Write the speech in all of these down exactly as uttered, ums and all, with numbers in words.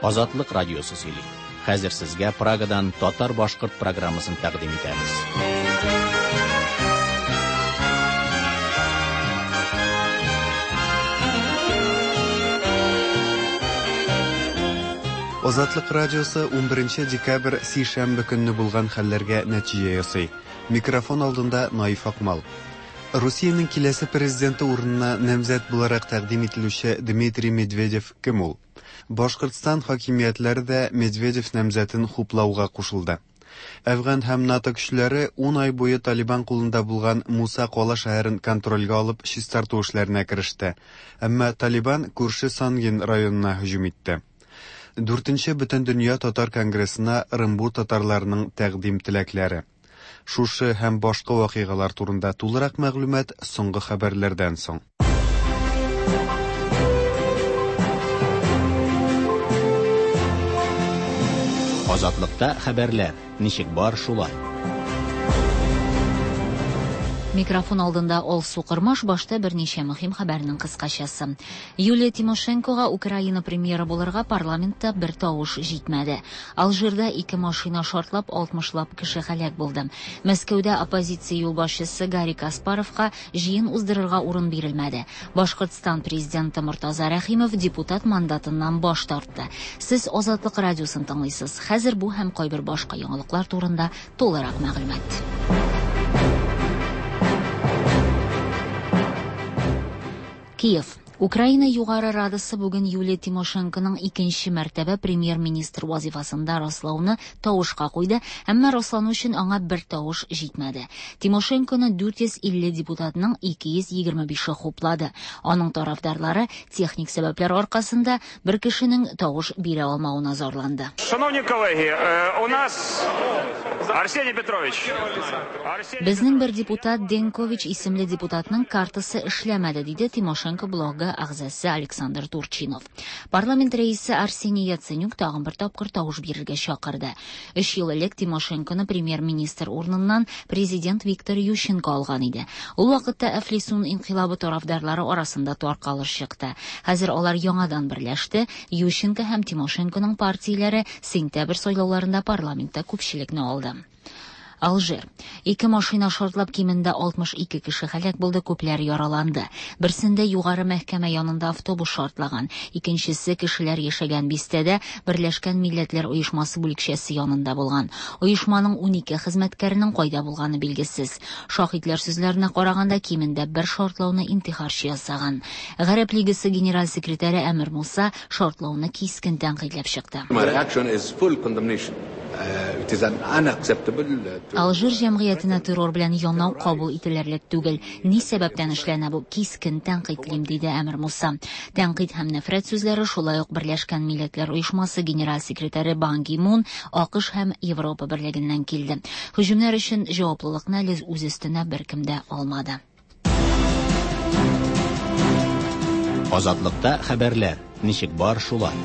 Азатлык радиосы сөйли. Хәзер сезгә Прагадан татар-башкорт программасын тәкъдим итәбез. Азатлык радиосы унберенче декабрь сишәмбе көнне булган хәлләргә нәтиҗә ясый. Микрофон алдында Наиф Акмал. Русиянең киләсе президенты урынына намзәт буларак тәкъдим ителүче Дмитрий Медведев кем ул? Башкортстан хакимиятләре дә Медведев намзәтен хуплауга кушылды. Әфган һәм НАТО көчләре ун ай буе Талибан кулында булган Муса Кала шәһәрен контрольгә алып чистарту эшләренә кереште. Әмма Талибан күрше Сангин районына һөҗүм итте. Дүртенче Бөтендөнья татар конгрессына Ырынбур татарларының тәкъдим теләкләре. Шушы һәм башка вакыйгалар турында тулырак мәгълүмат соңгы хәбәрләрдән соң. Азатлыкта хәбәрләр ничек бар шулай. Микрофон алдында Алсу Кырмаш, башта берничә мөһим хәбәрнең кыскачасы. Юлия Тимошенкога Украина премьеры булырга парламентта бер тавыш җитмәде. Алжирда ике машина шартлап алтмышлап кеше һәлак булды. Мәскәүдә оппозиция юлбашчысы Гарри Каспаровка җыен уздырырга урын бирелмәде. Башкортстан президенты Мортаза Рәхимов депутат мандатыннан баш тартты. Сез Азатлык радиосын тыңлыйсыз. Хәзер бу һәм кайбер башка яңалыклар турында тулырак мәгълүмат. Киев. Украина Югары Радасы бүген Юлия Тимошенконың икенче мәртәбә премьер-министр вазифасында раслауны тавышка куйды, әмма раслану өчен аңа бер тавыш җитмәде. Тимошенконы дүрт йөз илле депутатның ике йөз егерме бише хуплады. Аның тарафдарлары техник сәбәпләр аркасында бер кешенең тавыш бирә алмавына зарланды. Шановні колеги, у нас Арсений Петрович. Безнең бер депутат Денкович исемле депутатның картасы эшләмәде, диде Тимошенко блогы әгъзасы Александр Турчинов. Парламент рәисе Арсений Яценюк тагын бер тапкыр тавыш бирергә чакырды. Өч ел элек Тимошенконы премьер-министр урыныннан президент Виктор Ющенко алган иде. Ул вакытта Әфлисун инкыйлабы тарафдарлары арасында таркалыш чыкты. Хәзер алар яңадан берләште. Ющенко һәм Тимошенконың партияләре сентябрь сайлауларында парламентта күпчелекне алды. Алжир. Ике машина шартлап кимендә алтмыш ике кеше һәлак булды, күпләр яраланды. Берсендә югары мәхкәмә янында автобус шартлаган, икенчесе кешеләр яшәгән бистәдә Берләшкән Милләтләр Оешмасы бүлекчәсе янында булган. Оешманың унике хезмәткәренең кайда булганы билгесез. Шаһитләр сүзләренә караганда кимендә бер шартлауны интихарчы ясаган. Гарәп Лигасы генераль секретаре Әмир Муса шартлауны кискен тәнкыйтьләп чыкты. My reaction is full condemnation. Uh, it is an unacceptable uh, Алжир җәмгыятенә террор белән янау кабул ителерлек түгел. Ни сәбәптән эшләнә бу? Кискен тәнкыйтьлим, диде Әмир Муса. Тәнкыйть һәм нәфрәт сүзләре шулай ук Берләшкән Милләтләр Оешмасы генераль секретаре Бан Ги Мун, АКШ һәм Европа берлегеннән килде. Һөҗүмнәр өчен җаваплылыкны әле үз өстенә беркем дә алмады. Азатлыкта хәбәрләр ничек бар шулай.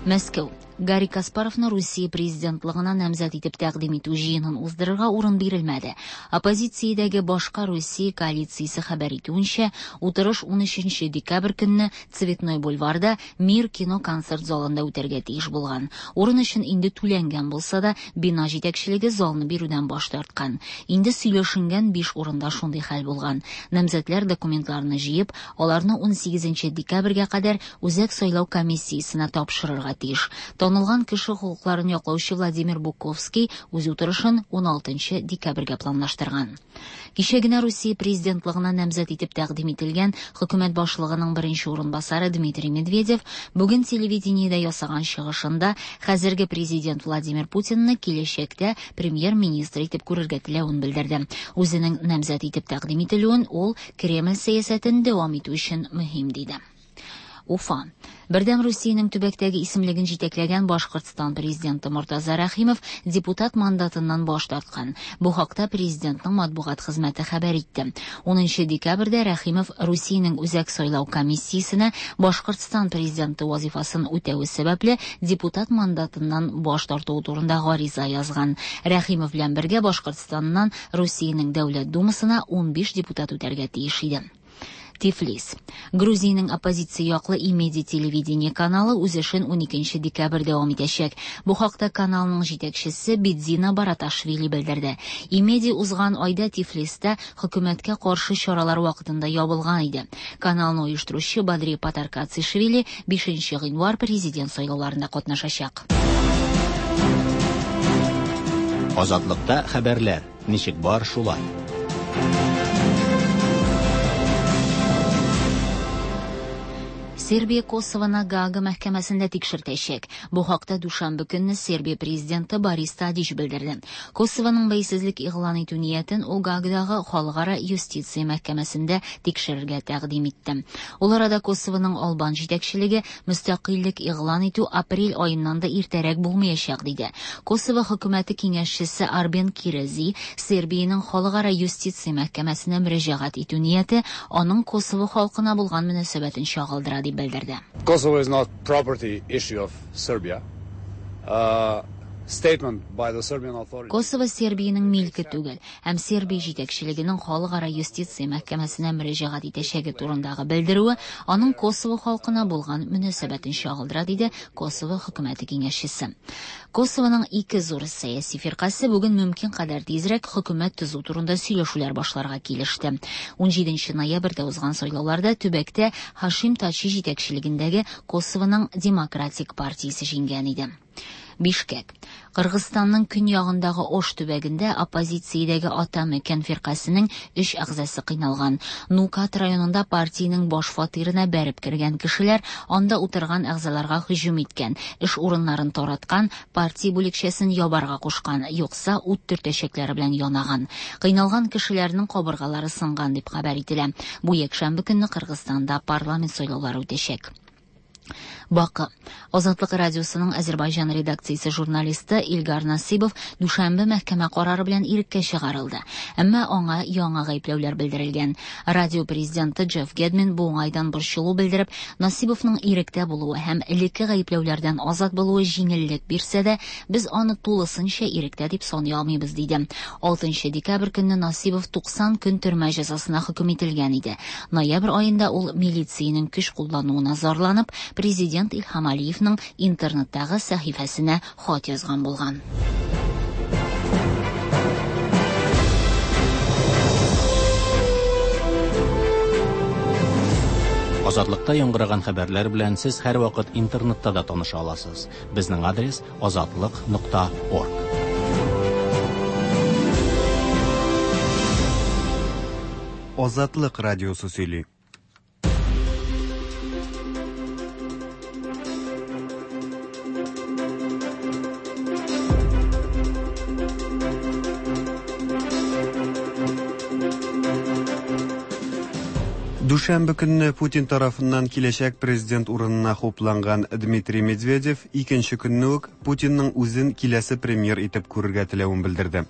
Мәскәү. Гарри Каспаровны Русия президентлыгына намзәт итеп тәкъдим итү җыенын уздырырга урын бирелмәде. Оппозициядәге башка Русия коалициясе хәбәр итүенчә, утырыш унөченче декабрь көнне Цветной бульварда Мир кино концерт залында үтәргә тиеш булган. Урын өчен инде түләнгән булса да, бина җитәкчелеге залны бирүдән баш тарткан. Инде сөйләшенгән биш урында шундый хәл булган. Намзәтләр документларны җыеп, аларны унсигезенче декабрьгә кадәр Үзәк сайлау комиссиясенә тапшырырга тиеш. Танылган кеше хокукларын яклаучы Владимир Буковский үз утырышын уналтынчы декабрьгә планлаштырган. Кичә генә Русия президентлыгына намзәт итеп тәкъдим ителгән хөкүмәт башлыгының беренче урынбасары Дмитрий Медведев бүген телевидениедә ясаган чыгышында хәзерге президент Владимир Путинны киләчәктә премьер-министр итеп күрергә теләвен белдерде. Үзенең намзәт итеп тәкъдим ителүен ул Кремль сәясәтен дәвам итү өчен мөһим диде. Уфа. Бердәм Русиянең төбәктәге исемлеген җитәкләгән Башкортстан президенты Мортаза Рәхимов депутат мандатыннан баш тарткан. Бу хакта президентның матбугат хезмәте хәбәр итте. Унынчы декабрьдә Рәхимов Русиянең Үзәк сайлау комиссиясенә Башкортстан президенты вазифасын үтәве сәбәпле депутат мандатыннан баш тартуы турында гариза язган. Рәхимов белән бергә Башкортстаннан Русиянең Дәүләт Думасына унбиш депутат үтәргә тиеш иде. Тифлис. Грузиянең оппозиция яклы Имеди телевидение каналы үз эшен уникенче декабрь дәвам итәчәк. Бу хакта каналның җитәкчесе Бидзина Бараташвили белдерде. Имеди узган айда Тифлистә хөкүмәткә каршы чаралар вакытында ябылган иде. Каналны оештыручы Бадри Патаркацишвили бишенче гыйнвар президент сайлауларында катнашачак. Азатлыкта хәбәрләр ничек бар шулай. Сербия Косовоны Гаага мәхкәмәсендә тикшертәчәк. Бу хакта дүшәмбе көнне Сербия президенты Борис Тадич белдерде. Косовоның бәйсезлек игълан итү ниятен ул Гаагадагы халыкара юстиция мәхкәмәсендә тикшерергә тәкъдим итте. Ул арада Косовоның албан җитәкчелеге мөстәкыйльлек игълан итү апрель аеннан да иртәрәк булмаячак диде. Косово хөкүмәте киңәшчесе Арбен Кирези Сербиянең халыкара юстиция мәхкәмәсенә мөрәҗәгать итү нияте аның Косово халкына булган мөнәсәбәтен чагылдыра дип белдерде. Kosovo is not property issue of Serbia. Uh, statement by the Serbian authorities. Косово Сербиянең милке түгел, һәм Сербия җитәкчелегенең халыкара юстиция мәхкәмәсенә мөрәҗәгать итәчәге турындагы белдерүе аның Косово халкына булган мөнәсәбәтен чагылдыра, диде Косово хөкүмәте киңәшчесе. Косовоның ике зур сәяси фиркасе бүген мөмкин кадәр тизрәк хөкүмәт төзү турында сөйләшүләр башларга килеште. Унҗиденче ноябрьдә узган сайлауларда төбәктә Хашим Тачи җитәкчелегендәге Косовоның Демократик партиясе җиңгән иде. Бишкек. Кыргызстанның көньягындагы Ош төбәгендә оппозициядәге Ата Мекен фиркасының өч әгъзасы кыйналган. Нукат районында партиянең баш фатирына бәреп кергән кешеләр анда утырган әгъзаларга һөҗүм иткән, эш урыннарын тараткан, партия бүлекчәсен ябарга кушкан, юкса ут төртәчәкләре белән янаган. Кыйналган кешеләрнең кабыргалары сынган дип хәбәр ителә. Бу якшәмбе көнне Кыргызстанда парламент сайлаулары үтәчәк. Бакы. Азатлык радиосының Азербайҗан редакциясе журналисты Илгар Насибов дүшәмбе мәхкәмә карары белән иреккә чыгарылды. Әмма аңа яңа гаепләүләр белдерелгән. Радио президенты Джефф Гедмин бу уңайдан борчылу белдереп, Насибовның иректә булуы һәм элекке гаепләүләрдән азат булуы җиңеллек бирсә дә, без аны тулысынча иректә дип саный алмыйбыз, диде. Алтынчы декабрь көнне Насибов туксан көн төрмә җәзасына хөкем ителгән иде. Ноябрь аенда ул милициянең көч куллануына зарланып, президент Илһам Алиевның интернеттагы сәхифәсенә хат язган булган. Азатлыкта яңгыраган хәбәрләр белән сез һәрвакыт интернетта да таныша аласыз. Безнең адрес азатлык нокта орг. Азатлык радиосы сөйли. Дүшәмбе көнне Путин тарафыннан киләчәк президент урынына хупланган Дмитрий Медведев икенче көнне үк Путинның үзен киләсе премьер итеп күрергә теләвен белдерде.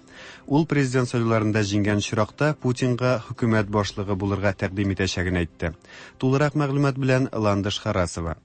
Ул президент сайлауларында җиңгән очракта Путинга хөкүмәт башлыгы булырга тәкъдим итәчәген әйтте. Тулырак мәгълүмат белән Ландыш Харасова.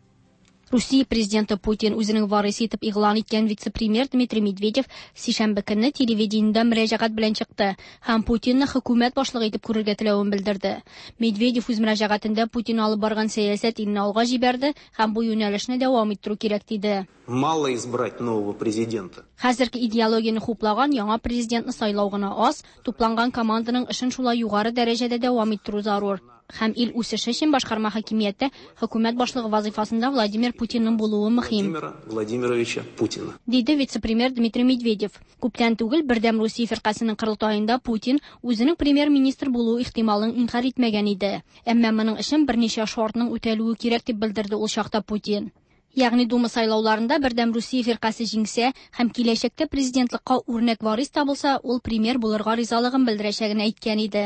Русия президенты Путин үзенең варисы итеп игълан иткән вице-премьер Дмитрий Медведев сишәмбе көнне телевидениедә мөрәҗәгать белән чыкты һәм Путинны хөкүмәт башлыгы итеп күрергә теләвен белдерде. Медведев үз мөрәҗәгатендә Путин алып барган сәясәт илне алга җибәрде һәм бу юнәлешне дәвам иттерү кирәк диде. Мало избрать нового президента. Хәзерге идеологияне хуплаган яңа президентны сайлау гына аз, тупланган команданың эшен шулай югары дәрәҗәдә дәвам иттерү зарур. Һәм ил үсеше өчен башкарма хакимияттә хөкүмәт башлыгы вазифасында Владимир Путинның булуы мөһим. Владимира Владимировича Путина. Диде вице-премьер Дмитрий Медведев. Күптән түгел Бердәм Русия фиркасының корылтаенда Путин үзенең премьер-министр булу ихтималын инкар итмәгән иде. Әмма моның өчен берничә шартның үтәлүе кирәк дип белдерде ул чакта Путин. Ягъни Дума сайлауларында Бердәм Русия фиркасе җиңсә һәм киләчәктә президентлыкка үрнәк варис табылса, ул премьер булырга ризалыгын белдерәчәген әйткән иде.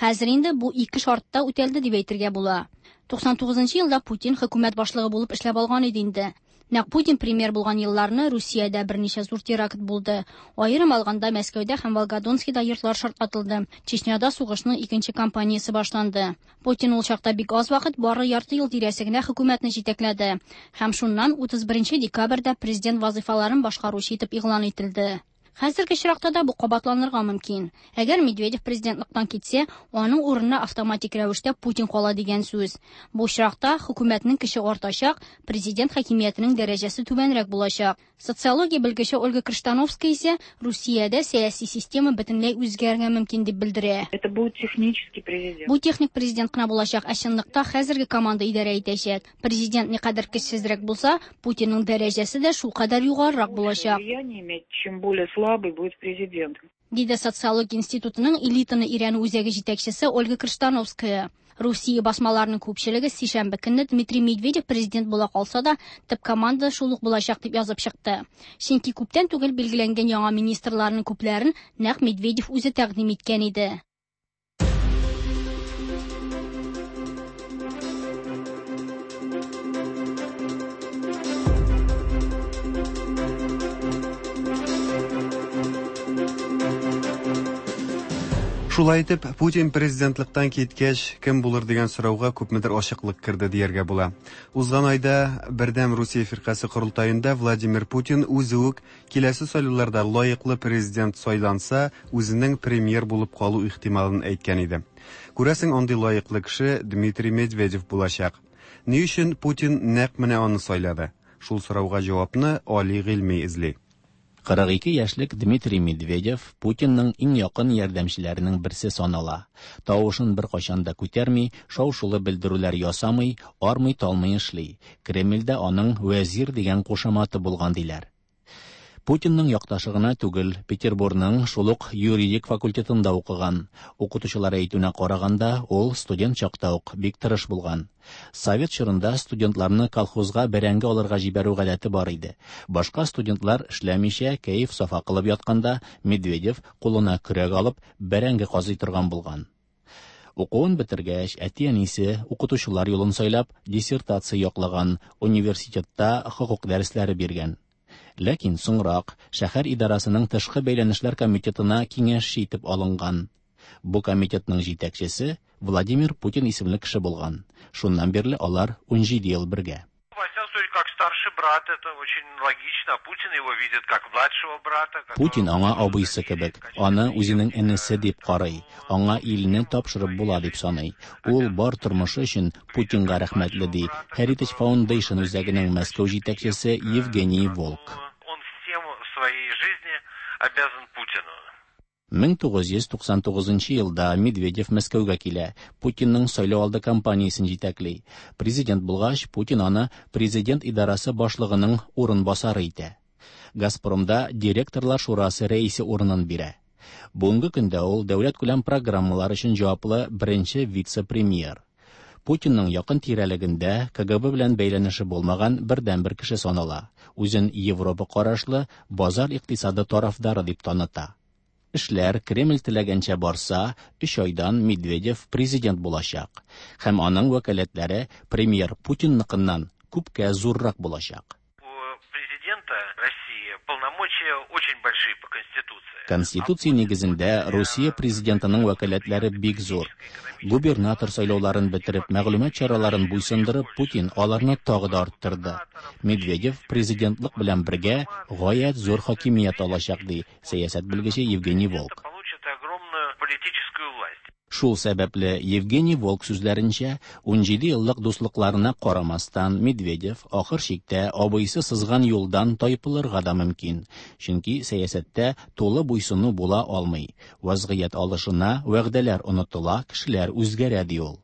Хәзер инде бу ике шартта үтәлде дип әйтергә була. туксан тугызынчы елда Путин хөкүмәт башлыгы булып эшләп алган иде инде. Нәкъ Путин премьер булган елларны Русиядә берничә зур теракт булды. Аерым алганда Мәскәүдә һәм Волгодонскида йортлар шартлатылды. Чечняда сугышның икенче кампаниясе башланды. Путин ул чакта бик аз вакыт, бары ярты ел тирәсе генә хөкүмәтне җитәкләде. Һәм шуннан утыз беренче декабрьдә президент вазифаларын башкаручы итеп игълан ителде. Хәзерге очракта да бу кабатланырга мөмкин. Әгәр Медведев президентлыктан китсә, аның урынына автоматик рәвештә Путин кала дигән сүз. Бу очракта хөкүмәтнең көче артачак, президент хакимиятенең дәрәҗәсе түбәнрәк булачак. Социология белгече Ольга Крыштановская исә Русиядә сәяси система бөтенләй үзгәрергә мөмкин дип белдерә. Это будет технический президент. Бу техник президент кына булачак, ә чынлыкта хәзерге команда идарә итәчәк. Президент никадәр көчсезрәк булса, Путинның дәрәҗәсе дә шулкадәр югарырак булачак. Влияние иметь, чем более слабый будет президент. Диде Социология институтының элитаны өйрәнү үзәге җитәкчесе Ольга Крыштановская. Русия басмаларының күпчелеге сишәмбе көнне Дмитрий Медведев президент була калса да, төп команда шул ук булачак дип язып чыкты. Чөнки күптән түгел билгеләнгән яңа министрларның күпләрен нәкъ Медведев үзе тәкъдим иткән иде. Шулай итеп, Путин президентлыктан киткәч, кем булыр дигән сорауга күпмедер ачыклык керде дияргә була. Узган айда Бердәм Русия фиркасе корылтаенда Владимир Путин үзе үк киләсе сайлауларда лаеклы президент сайланса, үзенең премьер булып калу ихтималын әйткән иде. Күрәсең, андый лаеклы кеше Дмитрий Медведев булачак. Ни өчен Путин нәкъ менә аны сайлады? Шул сорауга җавапны Али Гыйльми эзли. Кырык ике яшьлек Дмитрий Медведев Путинның иң якын ярдәмчеләренең берсе санала. Тавышын бер кайчан да күтәрми, шау-шулы белдерүләр ясамый, армый-талмый эшли. Кремльдә аның вәзир дигән кушаматы булган диләр. Путинның якташы гына түгел, Петербургның шул ук юридик факультетында укыган. Укытучылар әйтүенә караганда, ул студент чакта ук бик тырыш булган. Совет чорында студентларны колхозга бәрәңге алырга җибәрү гадәте бар иде. Башка студентлар эшләмичә кәеф-сафа кылып ятканда, Медведев кулына көрәк алып бәрәңге казый торган булган. Укуын бетергәч, әти-әнисе укытучылар юлын сайлап, диссертация яклаган, университетта хокук дәресләре биргән. Ләкин соңрак шәһәр идарасының тышкы бәйләнешләр комитетына киңәшче итеп алынган. Бу комитетның җитәкчесе Владимир Путин исемле кеше булган. Шуннан бирле алар унҗиде ел бергә. Как старший брат, это очень логично. Путин его видит как младшего брата. Путин аңа абыйсы кебек, аны үзенең энесе дип карый, аңа илне тапшырып була дип саный. Ул бар тормышы өчен Путинга рәхмәтле, ди Heritage Foundation үзәгенең Мәскәү җитәкчесе Евгений Волк. Он всем в своей жизни обязан Путину. мең тугыз йөз туксан тугызынчы елда Медведев Мәскәүгә килә, Путинның сайлау алды кампаниясен җитәкли. Президент булгач, Путин аны президент идарасы башлыгының урынбасары итә. Газпромда директорлар шурасы рәисе урынын бирә. Бүгенге көндә ул дәүләт күләм программалар өчен җаваплы беренче вице-премьер. Путинның якын тирәлегендә К Г Б белән бәйләнеше булмаган бердәнбер кеше санала. Үзен Европа карашлы базар икътисады тарафдары дип таныта. Эшләр Кремль теләгәнчә барса, өч айдан Медведев президент булачак. Һәм аның вәкаләтләре премьер Путинныкыннан күпкә зуррак булачак. У президента России полномочия очень большие по Конституции. Конституция нигезендә Русия президентының вәкаләтләре бик зур. Губернатор сайлауларын бетереп, мәгълүмат чараларын буйсындырып, Путин аларны тагы да арттырды. Медведев президентлык белән бергә гаять зур хакимият алачак, ди сәясәт белгече Евгений Волк. Получит огромную политическую власть. Шул сәбәпле Евгений Волк сүзләренчә, унҗиде еллык дуслыкларына карамастан Медведев ахыр чиктә абыйсы сызган юлдан тайпылырга да мөмкин. Чөнки сәясәттә тулы буйсыну була алмый. Вазгыять алышына, вәгъдәләр онытыла, кешеләр үзгәрә, ди ул.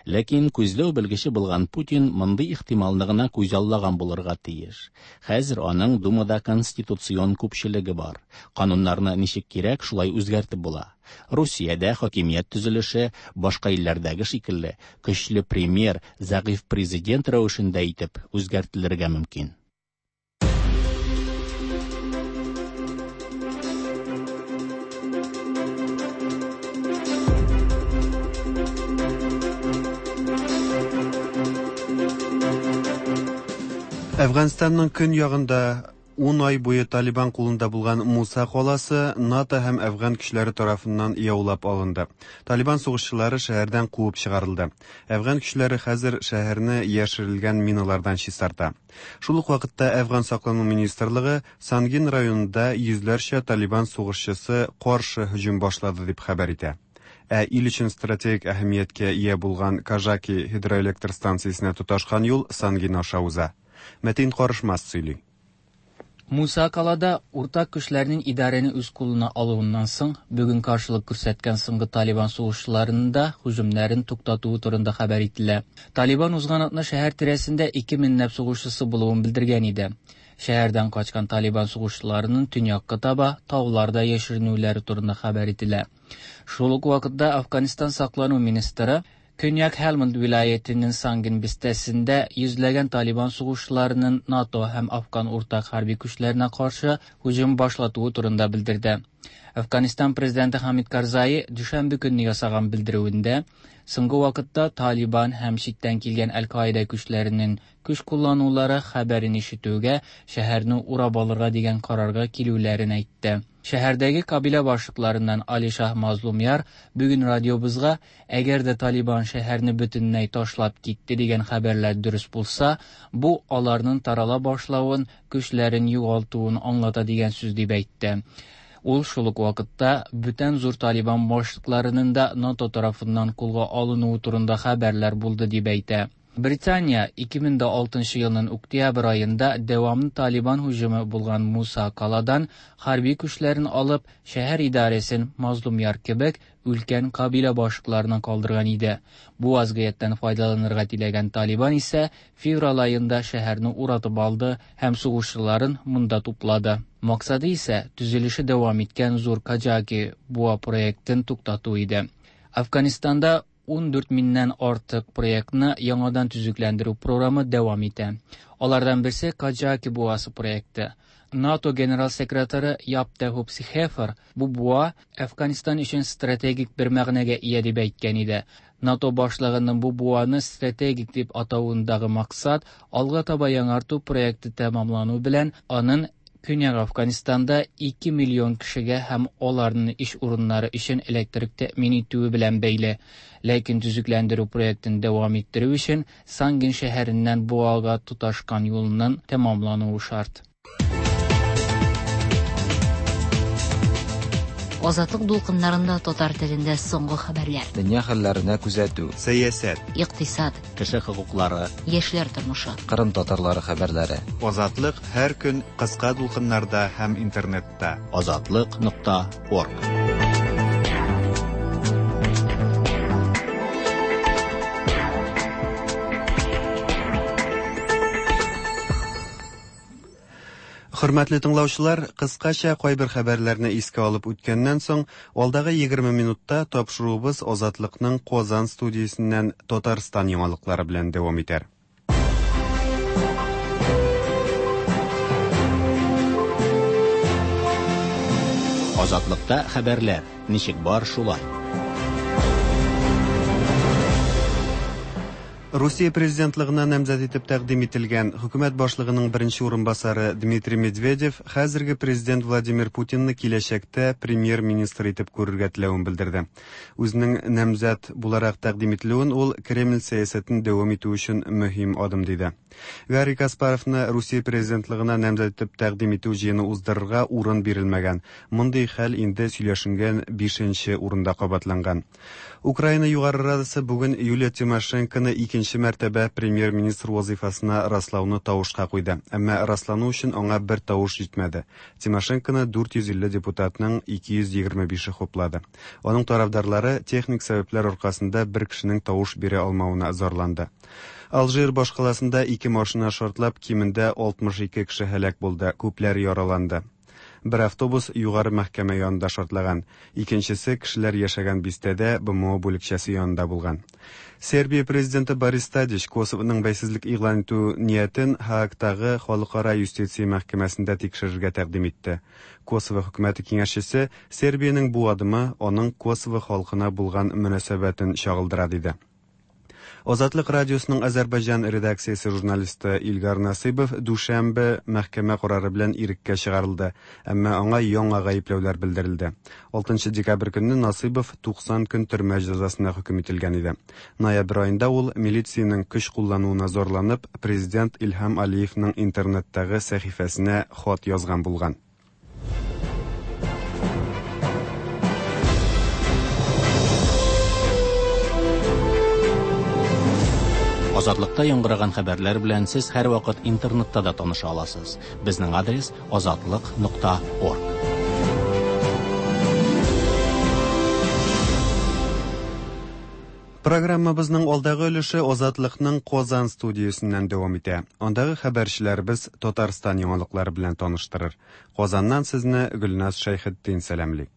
Ләкин күзләү белгече булган Путин мондый ихтималны гына күзаллаган булырга тиеш. Хәзер аның Думада конституцион күпчелеге бар. Кануннарны ничек кирәк, шулай үзгәртеп була. Русиядә хакимият төзелеше башка илләрдәге шикелле көчле премьер, зәгыйфь президент рәвешендә итеп үзгәртелергә мөмкин. Әфганстанның көньягында Ун ай буе Талибан кулында булган Муса каласы НАТО һәм әфган көчләре тарафыннан яулап алынды. Талибан сугышчылары шәһәрдән куып чыгарылды. Әфган көчләре хәзер шәһәрне яшерелгән миналардан чистарта. Шул ук вакытта Әфган саклану министрлыгы Сангин районында йөзләрчә Талибан сугышчысы каршы һөҗүм башлады дип хәбәр итә. Ә ил өчен стратегик әһәмияткә ия булган Кажаки гидроэлектр станциясенә тоташкан юл Сангин аша уза. Мәтин Карышмас сөйли. Муса Калада уртак көчләрнең идарәне үз кулына алуыннан соң бүген каршылык күрсәткән соңгы Талибан сугышчыларының да һөҗүмнәрен туктатуы турында хәбәр ителә. Талибан узган атна шәһәр тирәсендә ике меңләп сугышчысы булуын белдергән иде. Шәһәрдән качкан Талибан сугышчыларының төньякка таба тауларда яшеренүләре турында хәбәр ителә. Шул ук вакытта Афганистан саклану министры Көньяк Хелманд вилаятенең Сангин бистәсендә йөзләгән Талибан сугышчыларының НАТО һәм Афган уртак хәрби көчләренә каршы һөҗүм башлатуы турында белдерде. Афганистан президенты Хамид Карзаи дүшәмбе көнне ясаган белдерүендә соңгы вакытта Талибан һәм читтән килгән Әл-Каида көчләренең көч кулланулары хәбәрен ишетүгә шәһәрне урап алырга дигән карарга килүләрен әйтте. Шәһәрдәге кабилә башлыкларыннан Алишах Мазлумяр бүген радиобызга, әгәр дә Талибан шәһәрне бөтенләй ташлап китте дигән хәбәрләр дөрес булса, бу аларның тарала башлавын, көчләрен югалтуын аңлата дигән сүз дип әйтте. Ул шул ук вакытта бүтән зур Талибан башлыкларының да НАТО тарафыннан кулга алынуы турында хәбәрләр булды дип әйтә. Британия ике мең дә алтынчы елның октябрь аенда дәвамлы Талибан һөҗүме булган Муса Каладан хәрби көчләрен алып, шәһәр идарәсен Мазлумяр кебек өлкән кабилә башлыкларына калдырган иде. Бу вазгыятьтән файдаланырга теләгән Талибан исә февраль аенда шәһәрне уратып алды һәм сугышчыларын монда туплады. Максаты исә төзелеше дәвам иткән зур Кажаки буа проектын туктату иде. Афганистанда ун дүрт меңнән артык проектны яңадан төзекләндерү програмы дәвам итә. Алардан берсе Кажаки буасы проекты. НАТО генерал секретаре Яп де Хуп Схефер бу буа Афганистан өчен стратегик бер мәгънәгә ия дип әйткән иде. НАТО башлыгының бу буаны стратегик дип атавындагы максат алга таба яңарту проекты тәмамлану белән аның Көньяк Афганистанда ике миллион кешегә һәм аларның эш урыннары өчен электрик тәэмин итүе белән бәйле. Ләкин төзекләндерү проектын дәвам иттерү өчен Сангин шәһәреннән буага тоташкан юлның тәмамлануы шарт. Азатлык дулкыннарында татар телендә соңгы хәбәрләр. Дөнья хәлләренә күзәтү. Сәясәт. Икътисад. Кеше хокуклары. Яшьләр тормышы. Кырым татарлары хәбәрләре. Азатлык һәр көн кыска дулкыннарда һәм интернетта. Азатлык нокта орг. Хөрмәтле тыңлаучылар, кыскача кайбер хәбәрләрне искә алып үткәннән соң, алдагы егерме минутта тапшыруыбыз Азатлыкның Казан студиясеннән Татарстан яңалыклары белән дәвам итәр. Азатлыкта хәбәрләр ничек бар шулай. Русия президентлыгына намзәт итеп тәкъдим ителгән хөкүмәт башлыгының беренче урынбасары Дмитрий Медведев хәзерге президент Владимир Путинны киләчәктә премьер-министр итеп күрергә теләвен белдерде. Үзенең намзәт буларак тәкъдим ителүен ул Кремль сәясәтен дәвам итү өчен мөһим адым диде. Гарри Каспаровны Русия президентлыгына намзәт итеп тәкъдим итү җыены уздырырга урын бирелмәгән. Мондый хәл инде сөйләшенгән бишенче урында кабатланган. Украина Югары Радасы бүген Юлия Тимошенконы икенче мәртәбә премьер-министр вазифасына раслауны тавышка куйды. Әмма раслану өчен аңа бер тавыш җитмәде. Тимошенконы дүрт йөз илле депутатның ике йөз егерме бише хуплады. Аның тарафдарлары техник сәбәпләр аркасында бер кешенең тавыш бирә алмавына зарланды. Алжир башкаласында ике машина шартлап, кимендә алтмыш ике кеше һәлак булды, күпләр яраланды. Бер автобус югары мәхкәмә янында шартлаган, икенчесе кешеләр яшәгән бистәдә Б М О бүлекчәсе янында булган. Сербия президенты Борис Тадич Косовоның бәйсезлек игълан итү ниятен Һаагтагы Халыкара юстиция мәхкәмәсендә тикшерергә тәкъдим итте. Косово хөкүмәте киңәшчесе Сербиянең бу адымы аның Косово халкына булган мөнәсәбәтен чагылдыра диде. Азатлык радиосының Азәрбайҗан редакциясе журналисты Илгар Насыйбов дүшәмбе мәхкәмә карары белән иреккә чыгарылды, әмма аңа яңа гаепләүләр белдерелде. алтынчы декабрь көнне Насыйбов туксан көн төрмә җәзасына хөкем ителгән иде. Ноябрь аенда ул милициянең көч куллануына зарланып, президент Илһам Алиевның интернеттагы сәхифәсенә хат язган булган. Азатлыкта яңгыраган хәбәрләр белән сез һәрвакыт интернетта да таныша аласыз. Безнең адрес азатлык нокта орг. Программабызның алдагы өлеше Азатлыкның Казан студиясеннән дәвам итә. Андагы хәбәрчеләребез Татарстан яңалыклары белән таныштырыр. Казаннан сезне Гөлназ Шәйхетдин сәламли.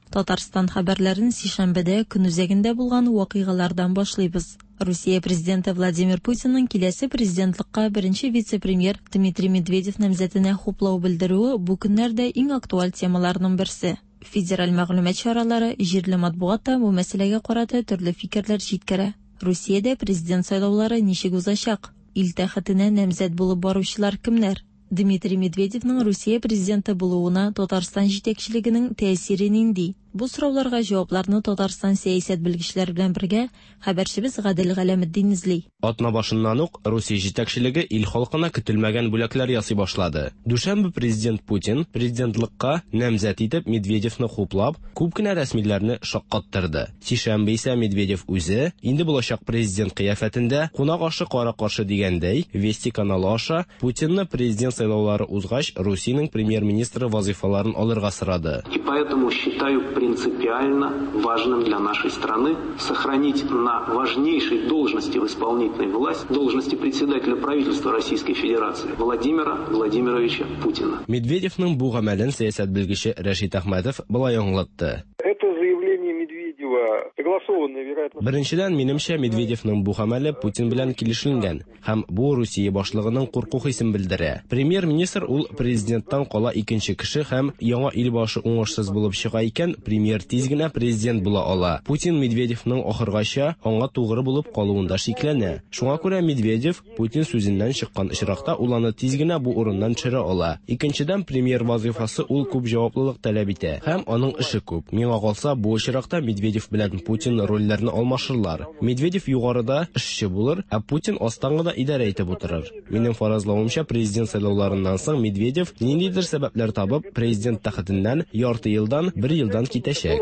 Татарстан хәбәрләрен сишәмбедә көн үзәгендә булган вакыйгалардан башлыйбыз. Русия президенты Владимир Путинның киләсе президентлыкка беренче вице-премьер Дмитрий Медведев намзәтенә хуплау белдерүе бу көннәрдә иң актуаль темаларның берсе. Федераль мәгълүмат чаралары, җирле матбугат та бу мәсьәләгә карата төрле фикерләр җиткерә. Русиядә президент сайлаулары ничек узачак? Ил тәхетенә намзәт булып баручылар кемнәр? Дмитрий Медведевның Русия президенты булуына Татарстан җитәкчелегенең тәэсире нинди? Бу сорауларга җавапларны Татарстан сәясәт белгечләре белән бергә хәбәрчебез Гадел Галәметдин эзли. Атна башыннан ук Русия җитәкчелеге ил халкына көтелмәгән бүләкләр ясый башлады. Дүшәмбе президент Путин президентлыкка намзәт итеп Медведевны хуплап, күп кенә рәсмиләрне шаккаттырды. Сишәмбе исә Медведев үзе инде булачак президент кыяфәтендә кунак ашы кара-каршы дигәндәй Вести каналы аша Путинны президент сайлаулары узгач Русиянең премьер-министры вазифаларын алырга сорады. И поэтому считаю принципиально важным для нашей страны сохранить на важнейшей должности в исполнительной власти, должности председателя правительства Российской Федерации Владимира Владимировича Путина. Медведевның бу гамәлен сәясәт белгече Рәшит Әхмәтов болай аңлатты. Это заявление Медведева согласованное, вероятно. Беренчедән, минемчә, Медведевның бу гамәле Путин белән килешенгән һәм бу Русия башлыгының курку хисен белдерә. Премьер-министр ул президенттан кала икенче кеше һәм яңа ил башы уңышсыз булып чыга икән, премьер тиз генә президент була ала. Путин Медведевның ахыргача аңа тугры булып калуында шикләнә. Шуңа күрә Медведев Путин сүзеннән чыккан очракта ул аны тиз генә бу урыннан төшерә ала. Икенчедән, премьер вазифасы ул күп җаваплылык таләп итә һәм аның эше күп. Миңа калса, бу очракта Медведев белән Путин рольләрне алмашырлар. Медведев югарыда эшче булыр, ә Путин астан гына идарә итеп утырыр. Минем фаразлавымча, президент сайлауларыннан соң Медведев ниндидер сәбәпләр табып, президент тәхетеннән ярты елдан, бер елдан китәчәк.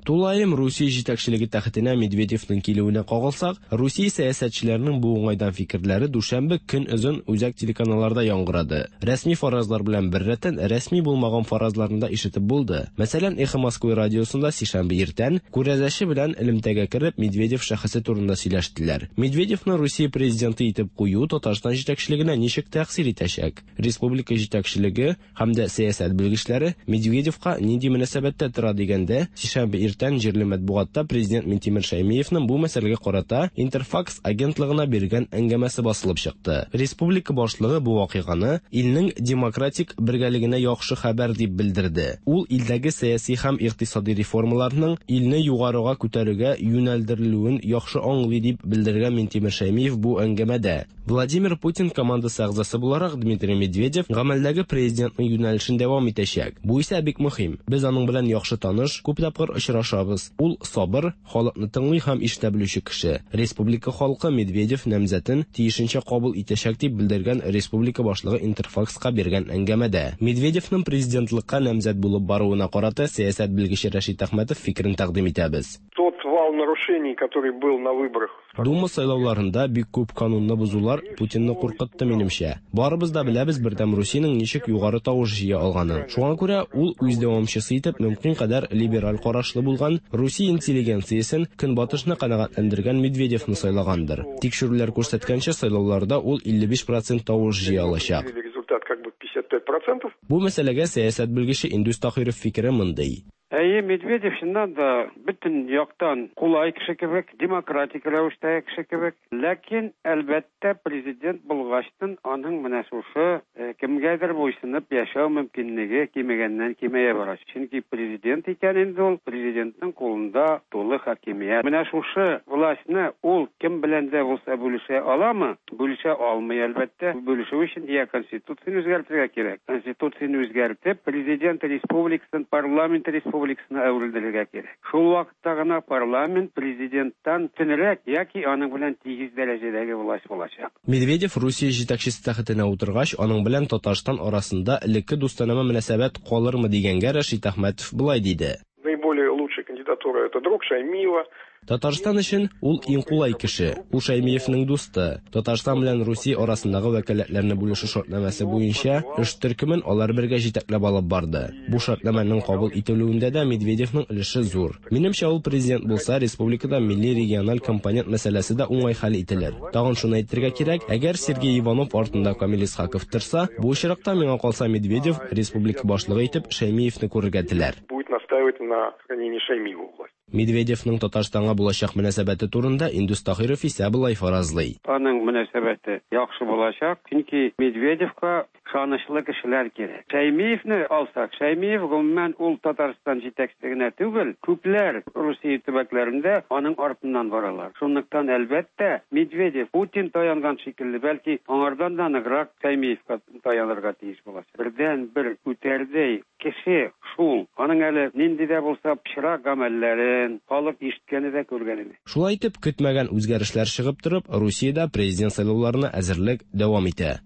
Тулаем Русия җитәкчелеге тәхетенә Медведевның килүенә кагылсак, Русия сәясәтчеләренең бу уңайдан фикерләре дүшәмбе көн озын үзәк телеканалларда яңгырады. Рәсми фаразлар белән беррәттән рәсми булмаган фаразларны да ишетеп булды. Мәсәлән, Эхо Москвы радиосында сишәмбе иртән күрәзәче белән элемтәгә кереп Медведев шәхесе турында сөйләштеләр. Медведевны Русия президенты итеп кую Татарстан җитәкчелегенә ничек тәэсир итәчәк? Республика җитәкчелеге һәм дә сәясәт белгечләре Медведевка нинди мөнәсәбәттә тора дигәндә, сишәмбе иртән җирле матбугатта президент Минтимер Шәймиевның бу мәсьәләгә карата Интерфакс агентлыгына биргән әңгәмәсе басылып чыкты. Республика башлыгы бу вакыйганы илнең демократик бергәлегенә яхшы хәбәр дип белдерде. Ул илдәге сәяси һәм икътисади реформаларның илне югарыга күтәрүгә юнәлдерелүен яхшы аңлый дип белдергән Минтимер Шәймиев бу әңгәмәдә. Владимир Путин командасы әгъзасы буларак Дмитрий Медведев гамәлдәге президентның юнәлешен дәвам итәчәк. Бу исә бик мөһим. Без аның белән яхшы таныш, күп тапкыр очрашабыз. Ул сабыр, халыкны тыңлый һәм ишетә белүче кеше. Республика халкы Медведев намзәтен тиешенчә кабул итәчәк дип белдергән республика башлыгы Интерфакска биргән әңгәмәдә. Медведевның президентлыкка намзәт булып баруына карата сәясәт белгече Рәшит Әхмәтов фикерен тәкъдим итәбез. Тот вал нарушений, который был на выборах. Дума сайлауларында бик күп канунны бозулар Путинны куркытты минемчә. Барыбыз да беләбез Бердәм Русиянең ничек югары тавыш җыя алганын. Шуңа күрә ул үз дәвамчысы итеп мөмкин кадәр либераль карашлы булган Русия интеллигенциясен көнбатышны канәгатьләндергән Медведевны сайлагандыр. Тикшерүләр күрсәткәнчә, сайлауларда ул илле биш процент тавыш җыя алачак. Результат как бы пятьдесят пять процентов. Бу мәсьәләгә сәясәт белгече Индус Тахиров фикере мондый. Әйе, Әйе, Медведев чыннан да бөтен яктан кулай кеше кебек, демократик рәвештәге кеше кебек. Ләкин, әлбәттә, президент булгачтын аның менә шушы кемгәдер буйсынып яшәү мөмкинлеге кимегәннән кимәя бара. Чөнки президент икән инде ул, президентның кулында тулы хакимият. Менә шушы властьны ул кем белән дә булса бүлешә аламы? Бүлешә алмый, әлбәттә. Бүлешү өчен я конституцияне үзгәртергә кирәк. Конституцияне үзгәртеп, президент республикасын парламент республикасына әверелдерергә кирәк. Шул вакытта гына парламент президенттан төнрәк яки аның белән тигез дәрәҗәдәге власть булачак. Медведев Русия җитәкчесе тәхетенә утыргач, аның белән Татарстан арасында элекке дустанә мөнәсәбәт калырмы дигәнгә Рәшит Әхмәтов болай диде. Наиболее лучшая кандидатура это друг Шаймиева. Татарстан өчен ул иң кулай кеше. Ул Шаймиевның дусты. Татарстан белән Русия арасындагы вәкаләтләрне бүлешү шартнамәсе буенча эш төркемен алар бергә җитәкләп алып барды. Бу шартнамәнең кабул ителүендә дә Медведевның өлеше зур. Минемчә, ул президент булса, республикада милли региональ компонент мәсьәләсе дә уңай хәл ителер. Тагын шуны әйтергә кирәк, әгәр Сергей Иванов артында Камил Исхаков торса, бу очракта миңа калса Медведев республика башлыгы итеп Шаймиевны күрергә теләр. Будет настаивать на сохранении Шаймиева власти. Медведевның Татарстанга булачак мөнәсәбәте турында Индус Таһиров исә болай фаразлый. Аның мөнәсәбәте яхшы булачак, чөнки Медведевка ышанычлы кешеләр кирәк. Шаймиевны алсак, Шаймиев гомумән ул Татарстан җитәкчесе генә түгел, күпләр Русия төбәкләрендә аның артыннан баралар. Шунлыктан әлбәттә Медведев Путин таянган шикелле, бәлки аңардан да ныграк Шаймиевка таянырга тиеш булачак. Бердән бер күтәрдәй кеше шул. Аның әле нинди дә булса пычрак гамәлләрен халык ишеткәне дә күргәне дә. Шулай итеп, көтмәгән үзгәрешләр чыгып торып, Русиядә президент сайлауларына әзерлек дәвам итә.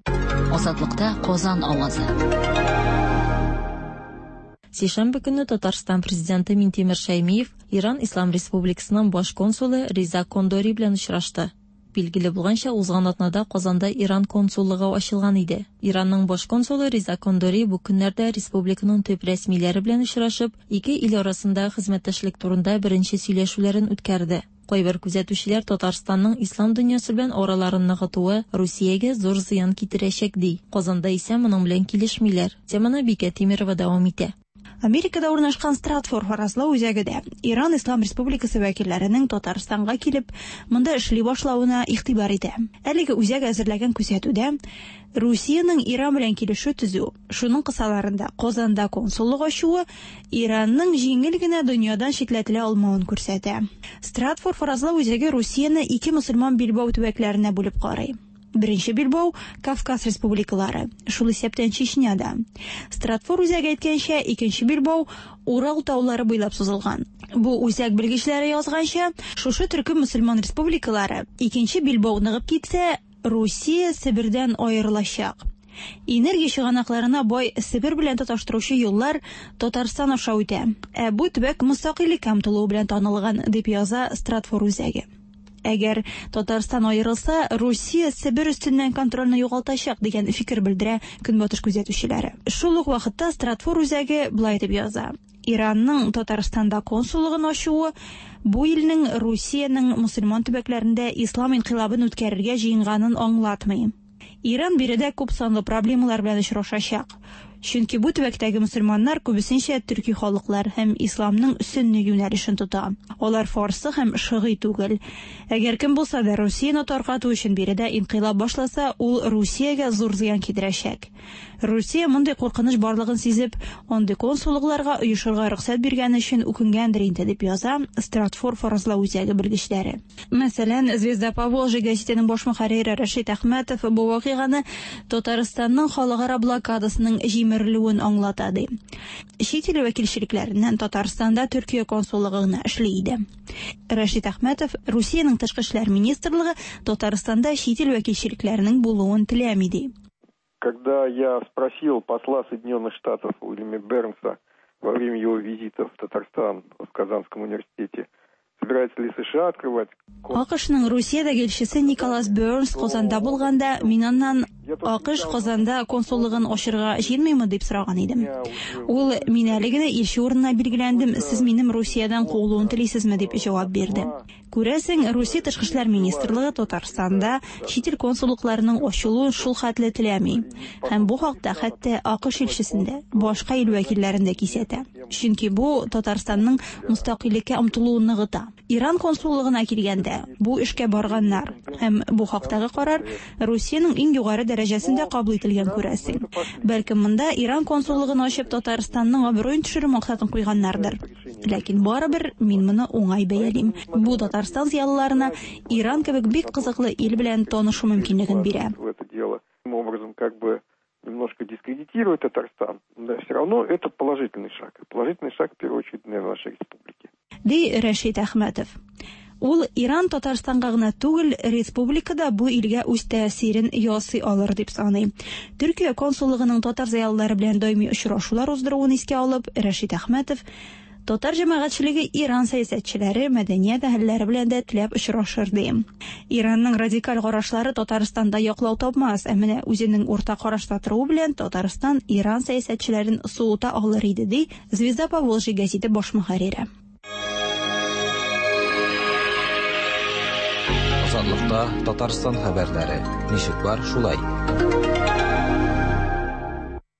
Азатлыкта Казан авазы. Сишәмбе көнне Татарстан президенты Минтимер Шаймиев Иран Ислам Республикасының баш консулы Риза Кондори белән очрашты. Билгеле булганча, узган атнада Казанда Иран консуллыгы ачылган иде. Иранның баш консулы Риза Кондори бу көннәрдә республиканың төп рәсмиләре белән очрашып, ике ил арасында хезмәттәшлек турында беренче сөйләшүләрен үткәрде. Кайбер күзәтүчеләр Татарстанның ислам дөньясы белән араларын ныгытуы Русиягә зур зыян китерәчәк ди. Казанда исә моның белән килешмиләр. Теманы Бикә Тимирова дәвам итә. Америкада урнашкан Стратфор фаразлау үзәге дә Иран Ислам Республикасы вәкилләренең Татарстанга килеп, монда эшли башлавына игътибар итә. Әлеге үзәк әзерләгән күзәтүдә Русиянең Иран белән килешү төзү, шуның кысаларында Казанда консуллык ачуы Иранның җиңел генә дөньядан читләтелә алмавын күрсәтә. Стратфор фаразлау үзәге Русияне ике мөселман билбау төбәкләренә бүлеп карый. Беренче билбау Кавказ республикалары, шул исәптән Чечняда. Стратфор үзәге әйткәнчә, икенче билбау Урал таулары буйлап сузылган. Бу үзәк белгечләре язганча, шушы төркем мөселман республикалары икенче билбау ныгып китсә, Русия Себердән аерылачак. Энергия чыганакларына бай Себер белән тоташтыручы юллар Татарстан аша үтә. Ә бу төбәк мөстәкыйльлеккә омтылуы белән танылган, дип яза Стратфор үзәге. Әгәр Татарстан аерылса, Русия Себер өстеннән контрольне югалтачак дигән фикер белдерә Көнбатыш күзәтүчеләре. Шул ук вакытта Стратфор үзәге болай дип яза: Иранның Татарстанда консуллыгын ачуы бу илнең Русиянең мөселман төбәкләрендә ислам инкыйлабын үткәрергә җыенганын аңлатмый. Иран биредә күп санлы проблемалар белән очрашачак. Чөнки бу төбәктәге мөселманнар күбесенчә төрки халыклар һәм исламның сөнни юнәлешен тота. Алар фарсы һәм шигый түгел. Әгәр кем булса да Русияне таркату өчен биредә инкыйлаб башласа, ул Русиягә зур зыян китерәчәк. Русия мондый куркыныч барлыгын сизеп, андый консуллыкларга оешырга рөхсәт биргән өчен үкенгәндер инде, дип яза Стратфор фаразлау үзәге белгечләре. Мәсәлән, Звезда Поволжья гәзитенең баш мөхәррире Рәшит Әхмәтов бу вакыйганы Татарстанның халыкара блокадасының җимерелүен аңлата ди. Чит ил вәкилчелекләреннән Татарстанда Төркия консуллыгы гына эшли иде. Рәшит Әхмәтов Русиянең тышкы эшләр министрлыгы Татарстанда чит ил вәкилчелекләренең булуын теләми ди. Когда я спросил посла Соединенных Штатов Уильяма Бернса во время его визита в Татарстан в Казанском университете, собирается ли США открывать... АКШның Русиядәге илчесе Николас Бернс Казанда булганда, мин аннан АКШ Казанда консуллыгын ачырга җыенмыймы дип сораган идем. Ул: "Мин әле генә илче урынына билгеләндем, сез минем Русиядән куылуын телисезме?" дип җавап бирде. Күрәсең, Русия Тышкы эшләр министрлыгы Татарстанда чит ил консуллыкларының ачылуын шул хәтле теләми. Һәм бу хакта хәтта АКШ илчесен дә, башка ил вәкилләрен дә кисәтә. Чөнки бу Татарстанның мөстәкыйльлеккә омтылуын ныгыта. Иран консуллыгына килгәндә, бу эшкә барганнар. Һәм бу хактагы карар Русиянең иң югары дәрәҗәсендә кабул ителгән, күрәсең. Бәлкем монда Иран консуллыгын ачып Татарстанның абруен төшерү максатын куйганнардыр. Ләкин барыбер мин моны уңай бәялим. Бу Татарстан зыялыларына Иран кебек бик кызыклы ил белән танышу мөмкинлеген бирә. В это дело таким образом как бы немножко дискредитирует Татарстан, да, все равно это положительный шаг. Положительный шаг, в первую очередь, для нашей республики. Ди Рәшит Әхмәтов. Ул Иран Татарстанга гына түгел, республикада бу илгә үз тәэсирен ясый алыр дип саный. Төркия консуллыгының татар зыялылары белән даими очрашулар уздыруын искә алып, Рәшит Әхмәтов татар җәмәгатьчелеге Иран сәясәтчеләре, мәдәният әһелләре белән дә теләп очрашыр ди. Иранның радикаль карашлары Татарстанда яклау тапмас, ә менә үзенең урта карашта торуы белән Татарстан Иран сәясәтчеләрен суыта алыр иде, ди Звезда Поволжья гәзите баш мөхәррире. Азатлыкта Татарстан хәбәрләре. Ничек бар, шулай.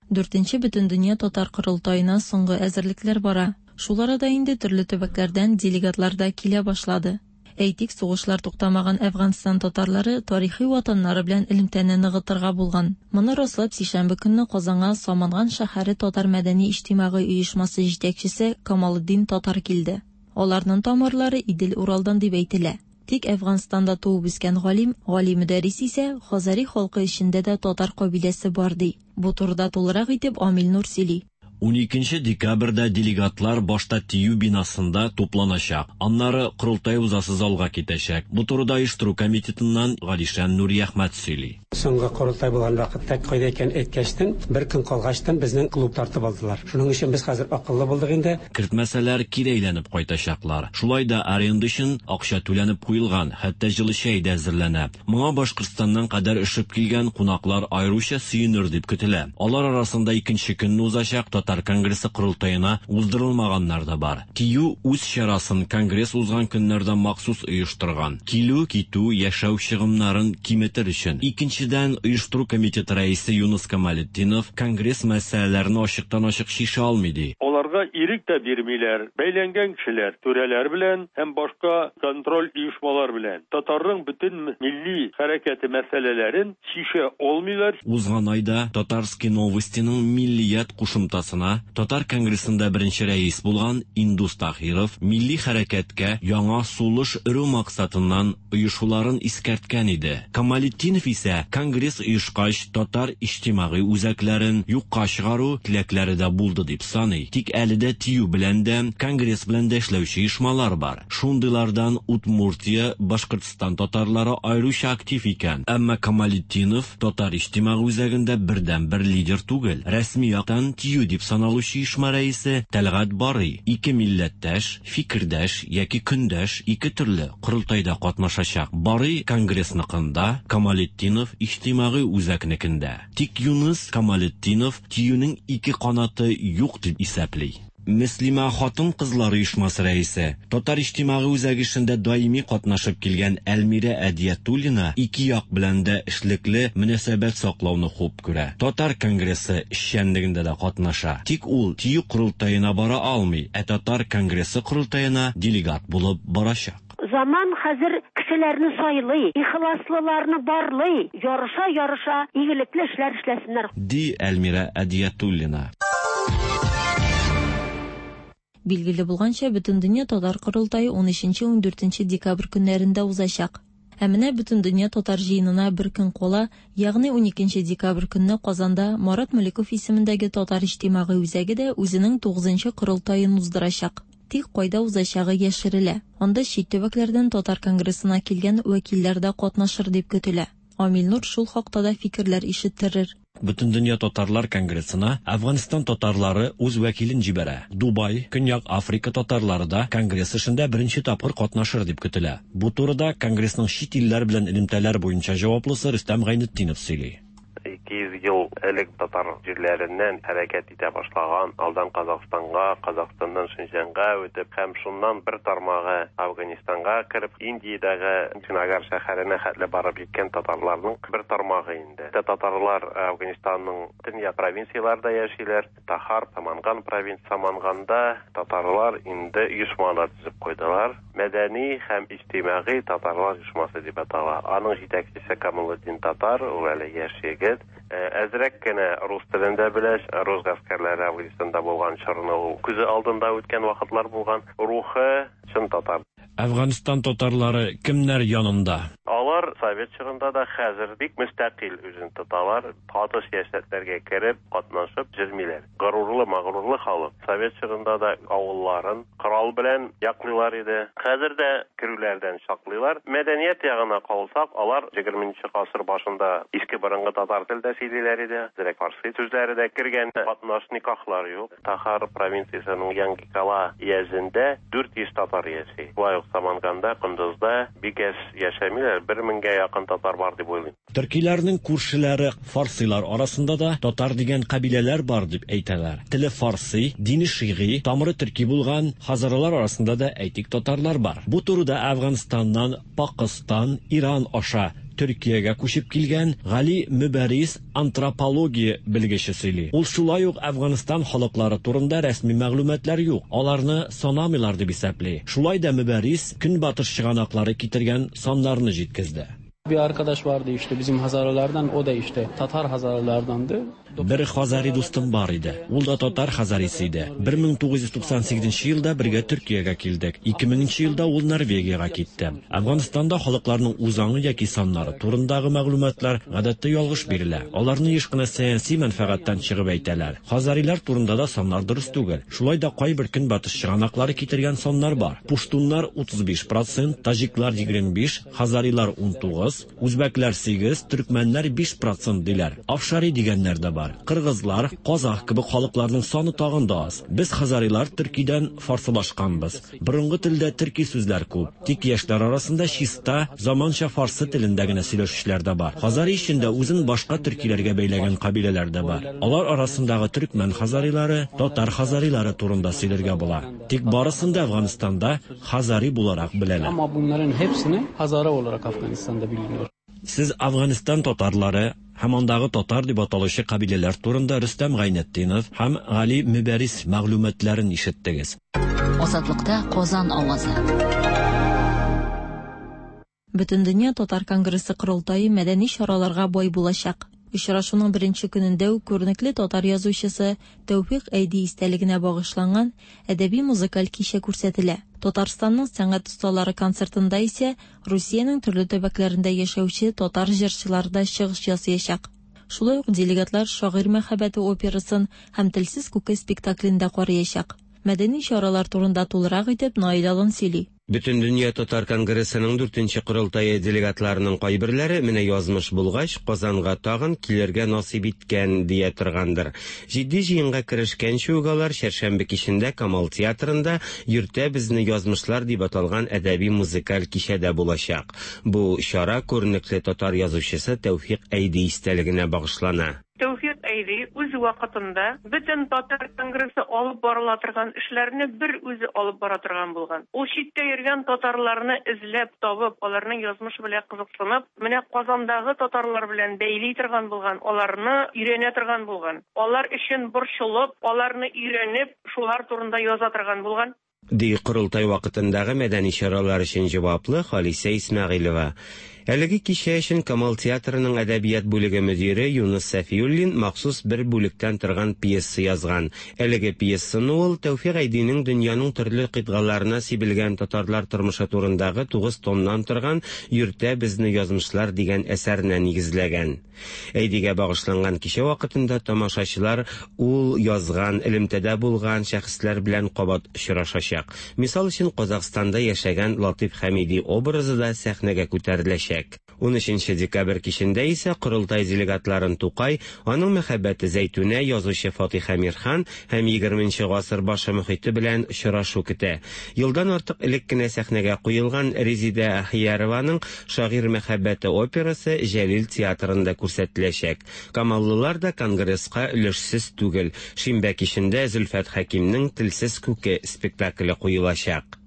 Дүртенче Бөтендөнья татар корылтаена соңгы әзерлекләр бара. Шул арада инде төрле төбәкләрдән делегатлар да килә башлады. Әйтик, сугышлар туктамаган Әфганстан татарлары тарихи ватаннары белән элемтәне ныгытырга булган. Моны раслап сишәмбе көнне Казанга Саманган шәһәре татар мәдәни иҗтимагый оешмасы җитәкчесе Камалетдин Татар килде. Аларның тамырлары Идел-Уралдан дип әйтелә. Тик Әфганстанда туып үскән галим Гали Мөдәррис исә Хазари халкы эчендә дә татар кабиләсе бар ди. Бу турыда тулырак итеп Амил Нур сөйли. Уникенче декабрьдә делегатлар башта ТИЮ бинасында тупланачак. Аннары корылтай узасы залга китәчәк. Бу турыда оештыру комитетыннан Галишан Нуриәхмәт сөйли. Соңгы корылтай булган вакытта кайда икән әйткәчтен, бер көн калгачтан безнең клуб тартып алдылар. Шуның өчен без хәзер акыллы булдык инде. Кертмәсәләр кире әйләнеп кайтачаклар. Шулай да аренда өчен акча түләнеп куелган, хәтта җылы чәй дә әзерләнә. Моңа Башкортстаннан кадәр өшеп килгән кунаклар аеруча сөенер дип көтелә. Алар арасында икенче көнне узачак Татар конгрессы корылтаена уздырылмаганнар да бар. ТИЮ үз чарасын конгресс узган көннәрдә махсус оештырган. Килү, китү, яшәү чыгымнарын киметер өчен. Икенчедән, оештыру комитеты рәисе Юныс Камалетдинов конгресс мәсьәләләрен ачыктан-ачык шиша алмый ди. Аларга ирек тә бирмиләр. Бәйләнгән кешеләр, түрәләр белән һәм башка контроль оешмалар белән татарның бөтен милли хәрәкәте мәсьәләләрен шиша алмыйлар. Узган айда Татарские новостиның миллият кушымтасына Татар конгрессында беренче рәис булган Индус Тахиров милли хәрәкәткә яңа сулыш өрү максатыннан оешуларын искәрткән иде. Камалетдинов исә конгресс оешкач татар иҗтимагый үзәкләрен юкка чыгару теләкләре дә булды дип саный. Тик әле дә ТИЮ белән дә, конгресс белән дә эшләүче оешмалар бар. Шундыйлардан Удмуртия, Башкортстан татарлары аеруча актив икән. Әмма Камалетдинов татар иҗтимагый үзәгендә бердән-бер лидер түгел. Рәсми яктан ТИЮ дип саналучы оешма рәисе Тәлгать Барый ике милләттәш, фикердәш яки көндәш ике төрле корылтайда катнашачак. Барый конгрессныкында, Камалетдинов иҗтимагый үзәкнекендә. Тик Юныс Камалетдинов ТИЮнең ике канаты юк дип исәпли. Мөслимә хатын-кызлар оешмасы рәисе, Татар иҗтимагый үзәге эшендә даими катнашып килгән Әлмирә Әдиятуллина ике як белән дә эшлекле мөнәсәбәт саклауны хуп күрә. Татар конгрессы эшчәнлегендә дә катнаша. Тик ул ТИЮ корылтаена бара алмый, ә Татар конгрессы корылтаена делегат булып барачак. Заман хәзер кешеләрне сайлый, ихласлыларны барлый, ярыша-ярыша игелекле эшләр эшләсеннәр. Ди Әлмирә Әдиятуллина. Билгеле булганча, Бөтендөнья татар корылтае ун өченче ун дүртенче декабрь көннәрендә узачак. Ә менә Бөтендөнья татар җыенына бер көн кала, ягъни ун икенче декабрь көнне Казанда Марат Мөлеков исемендәге татар иҗтимагый үзәге дә үзенең тугызынчы корылтаен уздырачак. Тик кайда узачагы яшерелә. Анда чит төбәкләрдән татар конгрессына килгән вәкилләр дә катнашыр дип көтелә. Амил Нур шул хакта да фикерләр ишеттерер. Бөтендөнья татарлар конгрессына Әфганстан татарлары үз вәкилен җибәрә. Дубай, Көньяк Африка татарлары да конгресс эшендә беренче тапкыр катнашыр дип көтелә. Бу турыда конгрессның чит илләр белән элемтәләр буенча җаваплысы Рөстәм Гайнетдинов сөйли. ике йөз йөз ел элек татар җирләреннән хәрәкәт итә башлаган, алдан Казахстанга, Казахстаннан Шинҗанга үтеп һәм шуннан бер тармагы Афганистанга кереп, Индиядәге Чинагар шәһәренә хәтле барып җиткән татарларның бер тармагы инде. Татарлар Афганистанның төньяк провинцияларында яшиләр. Тахар, Саманган провинция, Саманганда татарлар инде оешмалар төзеп куйдылар. Мәдәни һәм иҗтимагый татарлар оешмасы дип атала. Аның җитәкчесе Камалетдин Татар, ул әле яшь егет. Әзрәк кенә рус телен дә белә. Рус гаскәрләре Афганистанда булган чорны ул күзе алдында үткән вакытлар булган. Рухы чын татар. Әфганстан татарлары кемнәр янында? Алар совет чорында да хәзер бик мөстәкыйль үзен тоталар, каты сәясәтләргә кереп, катнашып йөрмиләр. Горурлы, мәгърурлы халык. Совет чорында да авылларын корал белән яклыйлар иде. Хәзер дә керүләрдән саклыйлар. Мәдәният ягына калсак, алар егерменче гасыр башында иске борынгы татар телендә сөйлиләр иде. Зирәк фарсы сүзләре дә кергән, катнаш никахлар юк. Тахар провинциясенең Янгикала өязендә дүрт йөз татар яши. Шулай ук Саманганда, Кундузда бик әз яшәмиләр, бер меңгә якын татар бар дип уйлыйм. Төркиләрнең күршеләре фарсилар арасында да татар дигән кабиләләр бар дип әйтәләр. Теле фарси, дине шигый, тамыры төрки булган хазаралар арасында да әйтик татарлар бар. Бу турыда Әфганстаннан Пакыстан, Иран аша Төркиягә күчеп килгән Гали Мөбәрис антропология белгече сөйли. Ул шулай ук Әфганстан халыклары турында рәсми мәгълүматлар юк, аларны санамыйлар дип исәпли. Шулай да Мөбәрис көнбатыш чыганаклары китергән саннарны җиткезде. Bir arkadaş vardı işte bizim Hazaralardan, o da işte Tatar Hazaralardandı. Бер хазари дустым бар иде. Ул да татар хазарисы иде. бер мең тугыз йөз туксан сигезенче елда бергә Төркиягә килдек. ике меңенче елда ул Норвегиягә китте. Әфганстанда халыкларның үзаңы яки саннары турындагы мәгълүматлар гадәттә ялгыш бирелә. Аларны еш кына сәяси мәнфәгатьтән чыгып әйтәләр. Хазарилар турында да саннар дөрес түгел. Шулай да кайбер көнбатыш чыганаклары китергән саннар бар. Пуштуннар утыз биш процент, таҗиклар егерме биш, хазарилар ун тугыз, үзбәкләр сигез, төркмәннәр биш процент диләр. Афшари дигәннәр дә бар. Кыргызлар, казах кебек халыкларның саны тагын да аз. Без хазарилар төркидән фарсылашканбыз. Борынгы телдә төрки сүзләр күп. Тик яшьләр арасында чиста, заманча фарсы телендә генә сөйләшүчеләр дә бар. Хазари эчендә үзен башка төркиләргә бәйләгән кабиләләр дә бар. Алар арасындагы төркмән хазарилары, татар хазарилары турында сөйләргә була. Тик барысын да Әфганстанда хазари буларак беләләр. Ama bunların hepsini Hazara olarak Afganistan'da biliniyor. Сез Әфганстан татарлары һәм андагы татар дип аталучы кабиләләр турында Рөстәм Гайнетдинов һәм Гали Мөбәрис мәгълүматларын ишеттегез. Азатлыкта Казан авазы. Бөтендөнья татар конгрессы корылтае мәдәни чараларга бай булачак. Очрашуның беренче көнендә үк күренекле татар язучысы Тәүфик Әйди истәлегенә багышланган әдәби музыкаль кичә күрсәтелә. Татарстанның сәнгать осталары концертында исә Русиянең төрле төбәкләрендә яшәүче татар җырчылары да чыгыш ясаячак. Шулай ук делегатлар Шагыйрь мәхәббәте операсын һәм Телсез күке спектаклен дә караячак. Мәдәни чаралар турында тулырак итеп Наил Алан сөйли. Бөтендөнья татар конгрессының дүртенче корылтае делегатларының кайберләре менә язмыш булгач, Казанга тагын килергә насыйп иткән дия торгандыр. Җитди җыенга керешкәнче үк алар чәршәмбе кичендә Камал театрында Йөртә безне язмышлар дип аталган әдәби музыкаль кичәдә булачак. Бу чара күренекле татар язучысы Тәүфик Әйди истәлегенә багышлана. Тәүфик Әйди үз вакытында бөтен татар конгрессы алып барыла торган эшләрне бер үзе алып бара торган булган. Ул читтә йөргән татарларны эзләп табып, аларның язмышы белән кызыксынып, менә Казандагы татарлар белән бәйли торган булган, аларны өйрәнә торган булган. Алар өчен борчылып, аларны өйрәнеп, шулар турында яза торган булган. Ди корылтай вакытындагы мәдәни чаралар өчен җаваплы Халисә Исмәгыйлева. Әлеге кичә өчен Камал театрының әдәбият бүлеге мөдире Юныс Сәфиуллин махсус бер бүлектән торган пьеса язган. Әлеге пьесаны ул Тәүфик Әйдинең дөньяның төрле кыйтгаларына сибелгән татарлар тормышы турындагы тугыз томнан торган Йөртә безне язмышлар дигән әсәренә нигезләгән. Әйдигә багышланган кичә вакытында тамашачылар ул язган, элемтәдә булган шәхесләр белән кабат очрашачак. Мисал өчен, Казахстанда яшәгән Латиф Хәмиди образы да сәхнәгә күтәреләчәк. Унөченче декабрь кичендә исә корылтай делегатларын Тукай, аның мәхәббәте Зәйтүнә, язучы Фатих Әмирхан һәм егерменче гасыр башы мөхите белән очрашу көтә. Елдан артык элек кенә сәхнәгә куелган Резидә Ахиярованың «Шагыйрь мәхәббәте» операсы Җәлил театрында күрсәтеләчәк. Камаллылар да конгресска өлешсез түгел. Шимбә кичендә Зөлфәт Хәкимнең «Телсез күке» спектакле куелачак.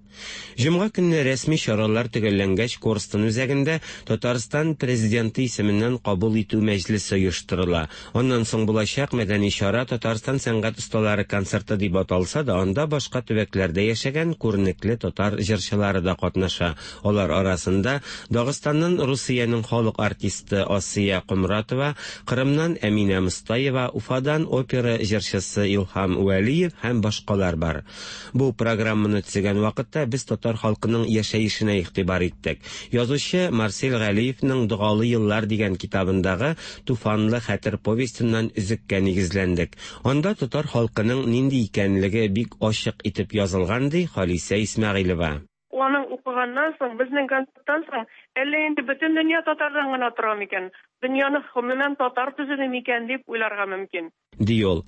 Җомга көнне рәсми чаралар төгәлләнгәч, Корстон үзәгендә Татарстан президенты исеменнән кабул итү мәҗлесе оештырыла. Аннан соң булачак мәдәни чара Татарстан сәнгать осталары концерты дип аталса да, анда башка төбәкләрдә яшәгән күренекле татар җырчылары да катнаша. Алар арасында Дагыстаннан Русиянең халык артисты Асия Комратова, Кырымнан Әминә Мостаева, Уфадан опера җырчысы Илһам Вәлиев һәм башкалар бар. Бу программаны төзегән вакытта без татар халкының яшәешенә игътибар иттек. Язучы Марсель Галиевның «Догалы еллар» дигән китабындагы Туфанлы хәтер повестеннан өзеккә нигезләндек. Анда татар халкының нинди икәнлеге бик ачык итеп язылган, ди Халисә Исмәгыйлева. Аның укыганнан соң, безнең концерттан соң, әллә инде бөтен дөнья татардан гына тора микән? Дөньяны гомумән татар төзеде микән дип уйларга мөмкин. Ди ул.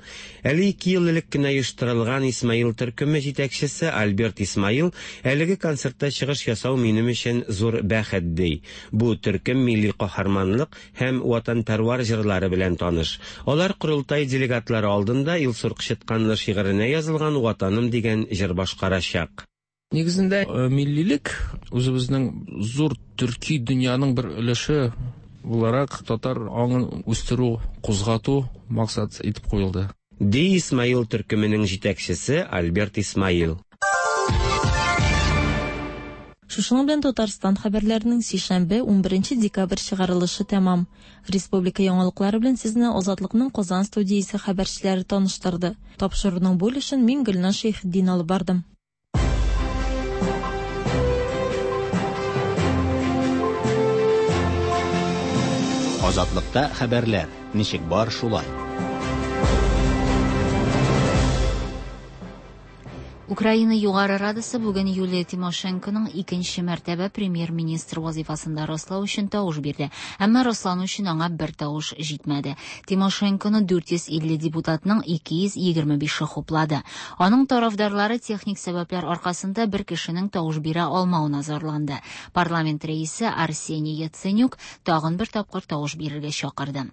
Әле ике ел элек кенә оештырылган Исмаил төркеме җитәкчесе Альберт Исмаил әлеге концертта чыгыш ясау минем өчен зур бәхет, ди. Бу төркем милли каһарманлык һәм ватанпәрвар җырлары белән таныш. Алар корылтай делегатлары алдында Илсур Кычытканлы шигыренә язылган «Ватаным» дигән җыр башкарачак. Нигезендә миллилек үзебезнең зур төрки дөньяның бер өлеше буларак татар аңын үстерү, кузгату максат итеп куелды. Ди Исмаил төркеменең җитәкчесе Альберт Исмаил. Шушының белән Татарстан хәбәрләренең сишәмбе унберенче декабрь чыгарылышы тәмам. Республика яңалыклары белән сезне Азатлыкның Казан студиясе хәбәрчеләре таныштырды. Тапшыруның бу өлешен мин Гөлназ Шәйхетдин алып бардым. Азатлыкта хәбәрләр ничек бар шулай. Украина Югары Радасы бүген Юлия Тимошенконың икенче мәртәбә премьер-министр вазифасында раслау өчен тавыш бирде. Әмма раслану өчен аңа бер тавыш җитмәде. Тимошенконы дүрт йөз илле депутатның ике йөз егерме бише хуплады. Аның тарафдарлары техник сәбәпләр аркасында бер кешенең тавыш бирә алмавына зарланды. Парламент рәисе Арсений Яценюк тагын бер тапкыр тавыш бирергә чакырды.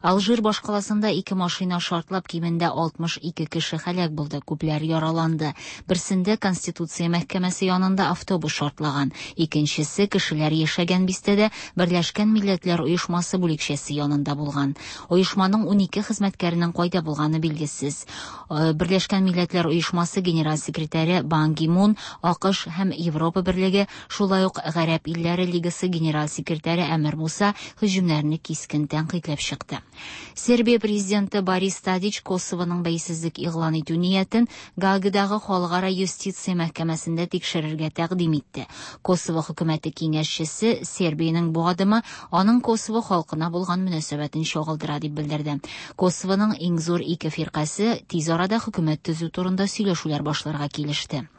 Алжир башкаласында ике машина шартлап кимендә алтмыш ике кеше һәлак булды, күпләр яраланды. Берсендә Конституция мәхкәмәсе янында автобус шартлаган, икенчесе кешеләр яшәгән бистәдә Берләшкән Милләтләр Оешмасы бүлекчәсе янында булган. Оешманың унике хезмәткәренең кайда булганы билгесез. Берләшкән Милләтләр Оешмасы генераль секретаре Бан Ги Мун, АКШ һәм Европа Берлеге, шулай ук Гарәп илләре Лигасы генераль секретаре Әмир Муса һөҗүмнәрне кискен тәнкыйтьләп чыкты. Сербия президенты Борис Тадич Косовоның бәйсезлек игълан итү ниятен Гаагадагы Халыкара юстиция мәхкәмәсендә тикшерергә тәкъдим итте. Косово хөкүмәте киңәшчесе Сербиянең бу адымы аның Косово халкына булган мөнәсәбәтен чагылдыра дип белдерде. Косовоның иң зур ике фиркасе тиз арада хөкүмәт төзү турында сөйләшүләр башларга килеште.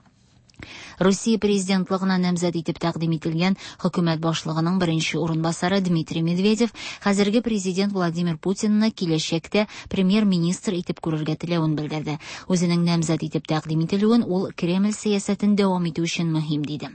Русия президентлыгына намзәт итеп тәкъдим ителгән хөкүмәт башлыгының беренче урынбасары Дмитрий Медведев хәзерге президент Владимир Путинны киләчәктә премьер-министр итеп күрергә теләвен белдерде. Үзенең намзәт итеп тәкъдим ителүен ул Кремль сәясәтен дәвам итү өчен мөһим диде.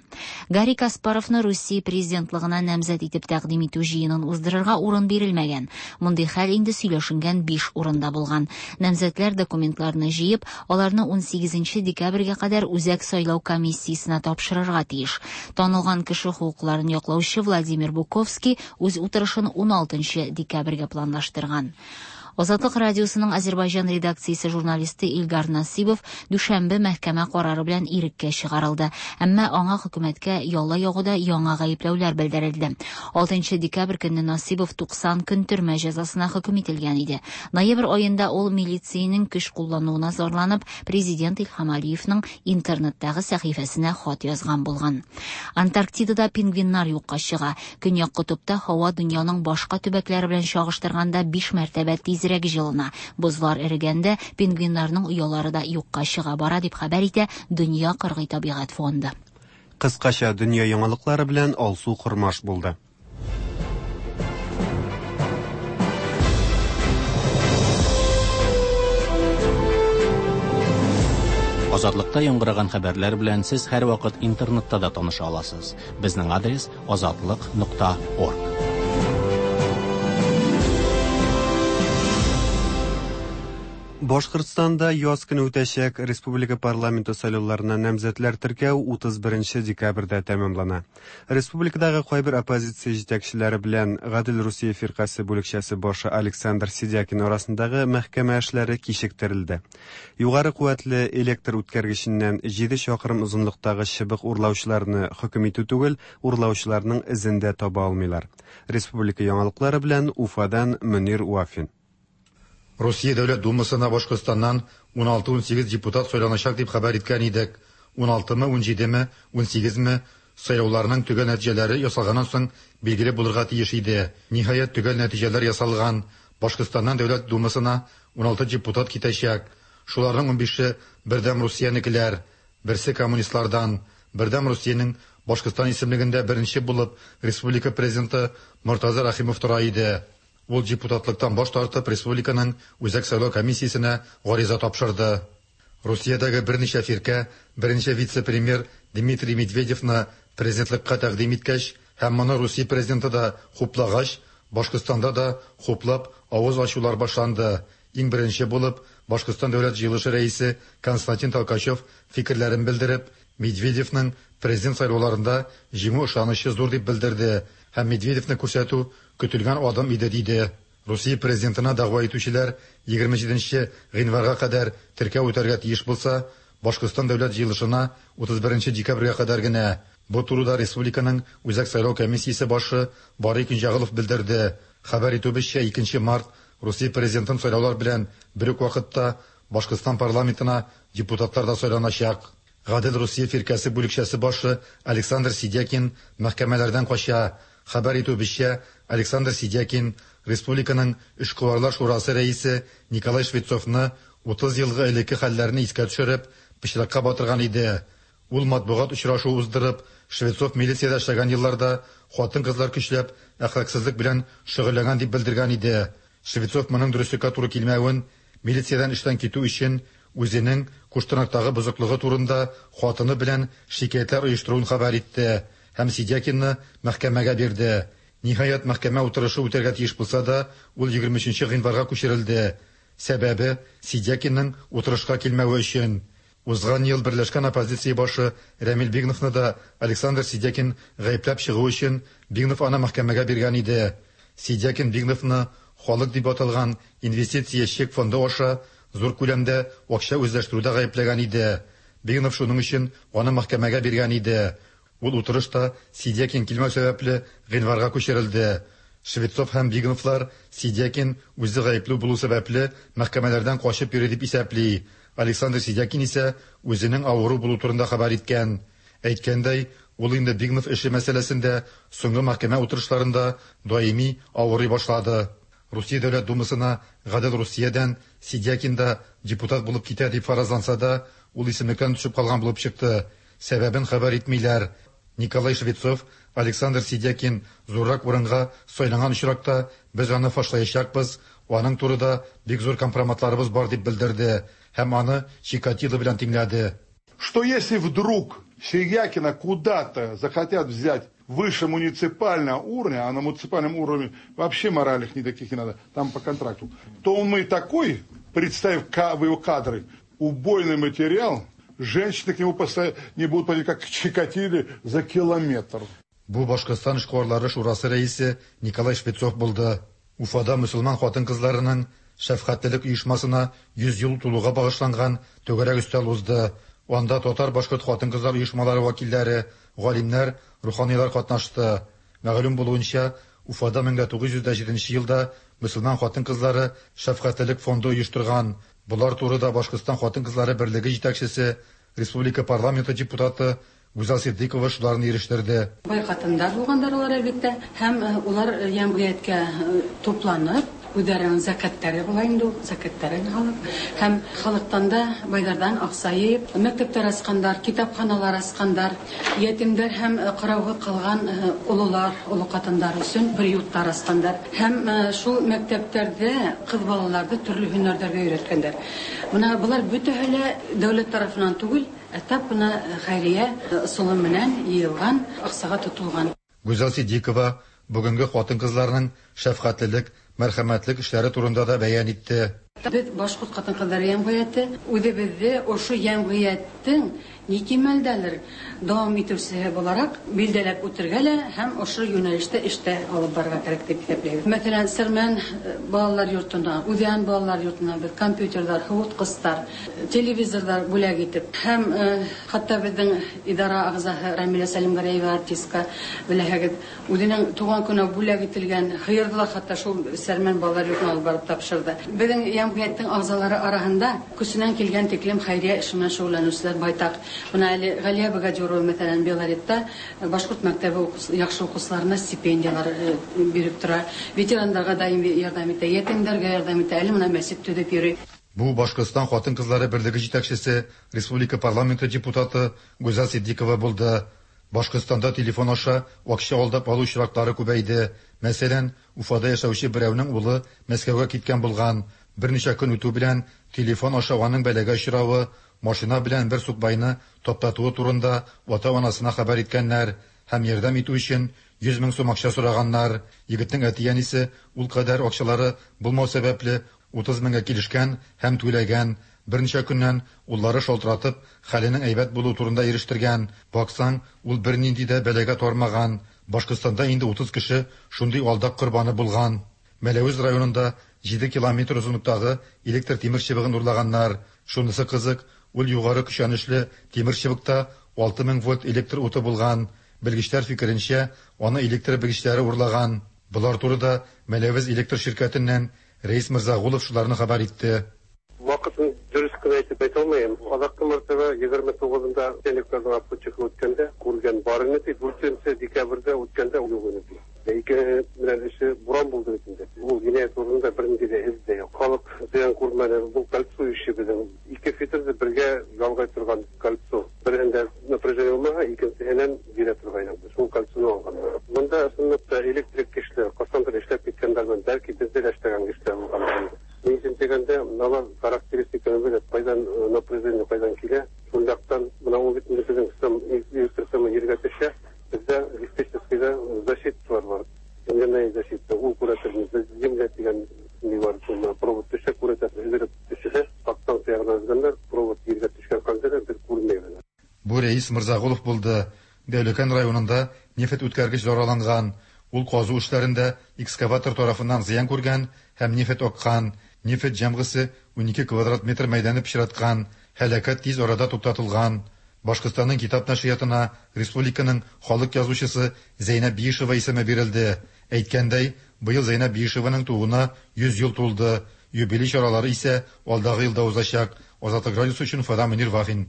Гарри Каспаровны Русия президентлыгына намзәт итеп тәкъдим итү җыенын уздырырга урын бирелмәгән. Мондый хәл инде сөйләшенгән биш урында булган. Намзәтләр документларны җыеп, аларны унсигезенче декабрьгә кадәр үзәк сайлау комиссиясенә тапшырырга тиеш. Танылган кеше хокукларын яклаучы Владимир Буковский үз утырышын уналтынчы декабрьгә планлаштырган. Азатлык радиосының Азербайҗан редакциясе журналисты Илгар Насибов дүшәмбе мәхкәмә карары белән иреккә чыгарылды. Әмма аңа хөкүмәткә ялла ягуда яңа гаепләүләр белдерелде. алтынчы декабрь көнне Насибов туксан көн төрмә җәзасына хөкем ителгән иде. Ноябрь аенда ул милициянең көч куллануына зарланып, президент Илһам Алиевның интернеттагы сәхифәсенә хат язган булган. Антарктидада пингвиннар юкка чыга. Көньяк котыпта һава дөньяның башка төбәкләре белән чагыштырганда биш мәртәбә тизрәк җылына. Бозлар эрегәндә пингвиннарның оялары да юкка чыга бара дип хәбәр итә Дөнья кыргый табигать фонды. Кыскача дөнья яңалыклары белән Алсу Кормаш булды. Азатлыкта яңгыраган хәбәрләр белән сез һәрвакыт интернетта да таныша аласыз. Безнең адрес азатлык нокта орг. Башкортстанда яз көне үтәчәк республика парламенты сайлауларына намзәтләр теркәү утыз беренче декабрьдә тәмамлана. Республикадагы кайбер оппозиция җитәкчеләре белән Гадел Русия фиркасе бүлекчәсе башы Александр Сидякин арасындагы мәхкәмә эшләре кичектерелде. Югары куәтле электр үткәргеченнән җиде чакрым озынлыктагы чыбык урлаучыларны хөкем итү түгел, урлаучыларның эзен дә таба алмыйлар. Республика яңалыклары белән Уфадан Мөнир Вафин. Русия Дәүләт Думасына Башкортстаннан ун алты-ун сигез депутат сайланачак дип хәбәр иткән идек. ун алтымы, ун җидеме, ун сигезме сайлауларның төгәл нәтиҗәләре ясалганнан соң билгеле булырга тиеш иде. Ниһаять, төгәл нәтиҗәләр ясалган. Башкортстаннан Дәүләт Думасына ун алты депутат китәчәк. Шуларның ун бише Бердәм Русиянекеләр, берсе коммунистлардан. Бердәм Русиянең Башкортстан исемлегендә беренче булып республика президенты Мортаза Рахимов тора иде. Ул депутатлыктан баш тартып республиканың Үзәк сайлау комиссиясенә гариза тапшырды. Русиядәге берничә фиркә беренче вице-премьер Дмитрий Медведевны президентлыкка тәкъдим иткәч һәм моны Русия президенты да хуплагач, Башкортстанда да хуплап авыз ачулар башланды. Иң беренче булып Башкортстан Дәүләт җыелышы рәисе Константин Толкачев фикерләрен белдереп, Медведевның президент сайлауларында җиңү ышанычы зур дип белдерде һәм Медведевны күрсәтү көтелгән адым иде диде. Русия президентына дәгъва итүчеләр егерме җиденче гыйнварга кадәр теркәү үтәргә тиеш булса, Башкортстан Дәүләт җыелышына утыз беренче декабрьгә кадәр генә. Бу турыда республиканың Үзәк сайлау комиссиясе башы Барый Көнҗәгылов белдерде. Хәбәр итүебезчә, икенче март Русия президентын сайлаулар белән бер үк вакытта Башкортстан парламентына депутатлар да сайланачак. Гадел Русия фиркәсе бүлекчәсе башы Александр Сидякин мәхкәмәләрдән кача. Хәбәр итүебезчә, Александр Сидякин республиканың Эшкуарлар шурасы рәисе Николай Швецовны утыз елгы элекке хәлләрне искә төшереп, пычракка батырган иде. Ул матбугат очрашуы уздырып, Швецов милициядә эшләгән елларда хатын-кызлар көчләп әхлаксызлык белән шөгыльләнгән дип белдергән иде. Швецов моның дөреслеккә туры килмәвен, милициядән эштән китү өчен үзенең Куштанактагы бозыклыгы турында хатыны белән шикаятьләр оештыруын хәбәр итте һәм Сидякинны мәхкәмәгә бирде. Ниһаять, мәхкәмә утырышы үтәргә тиеш булса да, ул егерме өченче гыйнварга күчерелде. Сәбәбе Сидякинның утырышка килмәве өчен. Узган ел берләшкән оппозиция башы Рәмил Бигновны да Александр Сидякин гаепләп чыгу өчен Бигнов аны мәхкәмәгә биргән иде. Сидякин Бигновны халык дип аталган инвестиция чек фонды аша зур күләмдә акча үзләштерүдә гаепләгән иде. Бигнов шуның өчен аны мәхкәмәгә биргән иде. Ул утырышта Сидякин килмәү сәбәпле гыйнварга күчерелде. Швецов һәм Бигновлар Сидякин үзе гаепле булу сәбәпле мәхкәмәләрдән качып йөри дип исәпли. Александр Сидякин исә үзенең авыру булу турында хәбәр иткән. Әйткәндәй, ул инде Бигнов эше мәсьәләсендә соңгы мәхкәмә утырышларында даими авырый башлады. Русия Дәүләт Думасына Гадел Русиядән Сидякин да депутат булып китә дип фаразланса да, ул исемлектән төшеп калган булып чыкты. Сәбәбен хәбәр итмиләр. Николай Швецов, Александр Сидякин зуррак урынга сайланган очракта без аны фашлаячакбыз, аның турыда бик зур компроматларыбыз бар дип белдерде һәм аны Чикатило белән тиңләде. Что если вдруг Сидякина куда-то захотят взять выше муниципального уровня, а на муниципальном уровне вообще моральных никаких не надо, там по контракту, то он и такой, представив его кадры, убойный материал, женщины к нему не будут подходить, как к Чикатиле, за километр. Бу Башкортстан эшкуарлары шурасы рәисе Николай Швецов булды. Уфада мөселман хатын-кызларының шәфкатьлелек оешмасына йөз ел тулуга багышланган түгәрәк өстәл узды. Анда татар башкорт хатын-кызлар оешмалары вәкилләре, галимнәр, руханилар катнашты. Мәгълүм булуынча, Уфада мең тугыз йөз җиденче елда мөселман хатын-кызлары шәфкатьлелек фонды оештырган. Булар турыда Башкортстан хатын-кызлары берлеге җитәкчесе, республика парламенты депутаты Гүзәл Сиддикова шуларны ирештерде. Бай хатындар булгандар алар әлбәттә, һәм улар җәмгыятькә тупланып, Үзләренең зәкәтләре була инде ул, зәкәтләрен алып һәм халыктан да байлардан акча җыеп, мәктәпләр ачкандар, китапханалар ачкандар, ятимнәр һәм карауга калган олылар, олы катындар өчен приютлар ачкандар. Һәм шул мәктәпләрдә кыз балаларны төрле һөнәрләргә өйрәткәннәр. Менә болар бөтәһе лә дәүләт тарафыннан түгел, ә тап менә хәйрия ысулы менән йыелган, акчага тотылган. Гүзәл Сиддикова бүгенге хатын-кызларның шәфкатьлелек, мәрхәмәтлек эшләре турында да бәян итте. Без башкорт хатын-кызлары җәмгыяте, үзебезне ошо җәмгыятьтең ни кимәлдәлер дәвам итүчесе буларак билдәләп үтергә лә һәм ошо юнәлештә эштә алып барырга кирәк дип исәпләйбез. Мәсәлән, Сәрмән балалар йортына, Үҙән балалар йортына без компьютерлар, һыуытҡыстар, телевизорҙар бүләк итеп һәм хатта беҙҙең идара ағзаһы Рамилә Сәлимгәрәева артистка беләһегеҙ, үҙенең тыуған көнө бүләк ителгән һыйырҙы ла хатта шул Сәрмән балалар йортона алып барып тапшырҙы. Беҙҙең җәмғиәттең ағзалары араһында көсөнән килгән тиклем хәйриә эше менән шөғөлләнеүселәр байтаҡ. Бына әле Ғәлиә Богадюрова, мәҫәлән, Белоретта башҡорт мәктәбе яҡшы уҡыусыларына стипендиялар биреп тора, ветерандарға даим ярҙам итә, ятимдәргә ярҙам итә, әле бына мәсет төҙөп йөрөй. Бу Башҡортостан хатын-кызлары берлеге җитәкчесе, республика парламенты депутаты Гүзәл Сиддикова булды. Башҡортостанда телефон аша акча алдап алу очраклары күбәйде. Мәсәлән, Уфада яшәүче берәүнең улы Мәскәүгә киткән булган. Берничә көн үтү белән телефон аша аның бәлагә очравы, машина белән бер сукбайны таптатуы турында ата-анасына хәбәр иткәннәр һәм ярдәм итү өчен йөз мең сум акча сораганнар. Егетнең әти-әнисе ул кадәр акчалары булмау сәбәпле утыз меңгә килешкән һәм түләгән. Берничә көннән уллары шалтыратып, хәленең әйбәт булуы турында ирештергән. Баксаң, ул бернинди дә бәлагә тармаган. Башҡортостанда инде утыз кеше шундый алдак корбаны булган. Мәләүез районында җиде километр озынлыктагы электр тимер чыбыгын урлаганнар. Шунысы кызык, ул югары көчәнешле тимер чыбыкта алты мең вольт электр уты булган. Белгечләр фикеренчә, аны электр белгечләре урлаган. Болар турыда Мәләүез электр ширкәтеннән Рәис Мирзагулов шуларны хәбәр итте. Вакытын дөрес кенә әйтеп әйтә алмыйм. Азаккы мәртәбә егерме тугызында электрның обходчигы үткәндә күргән бар иде. Дүртенче декабрьдә үткәндә юк иде. Ике белән эше буран булды бит инде. Ул җинаять урынында бернинди дә эз дә юк. Халык зыян күрмәде. Бу кольцо эше безнең. Ике фитерде бергә ялгай торган кольцо. Берендә напряжение булмага, икенсеһеннән бирә торган. Шул кольцоны алганнар. Монда чынлап та электрик кешеләр, кайчандыр эшләп киткәннәр белән, бәлки бездә дә эшләгән кешеләр булган. Ни өчен дигәндә, алар характеристиканы белеп, кайдан напряжение кайдан килә, шул яктан менә ул бит инде безнең электр сымы җиргә төшә, бездә диспетчерскийда защиталар бар. Земляная защита, ул күрәтер, без земля дигән ни бар, шул провод төшә, күрәтер, өзелеп төшә, подстанция ягына өзгәннәр, провод җиргә төшкән хәлдә без күрмәйбез. Бу Рәис Мирзагулов булды. Дәүләкән районында нефть үткәргеч зарарланган. Ул казу эшләрендә экскаватор тарафыннан зыян күргән һәм нефть аккан. Нефть җәмгысе унике квадрат метр мәйданны пычраткан. Һәлакәт тиз арада туктатылган. Башҡортостанның китап нәшриятына республиканың халык язучысы Зәйнәб Биишева исеме бирелде. Әйткәндәй, быел Зәйнәб Биишеваның тууына йөз ел тулды. Юбилей чаралары исә алдагы елда узачак. Азатлык радиосы өчен Уфадан Мөнир Вафин.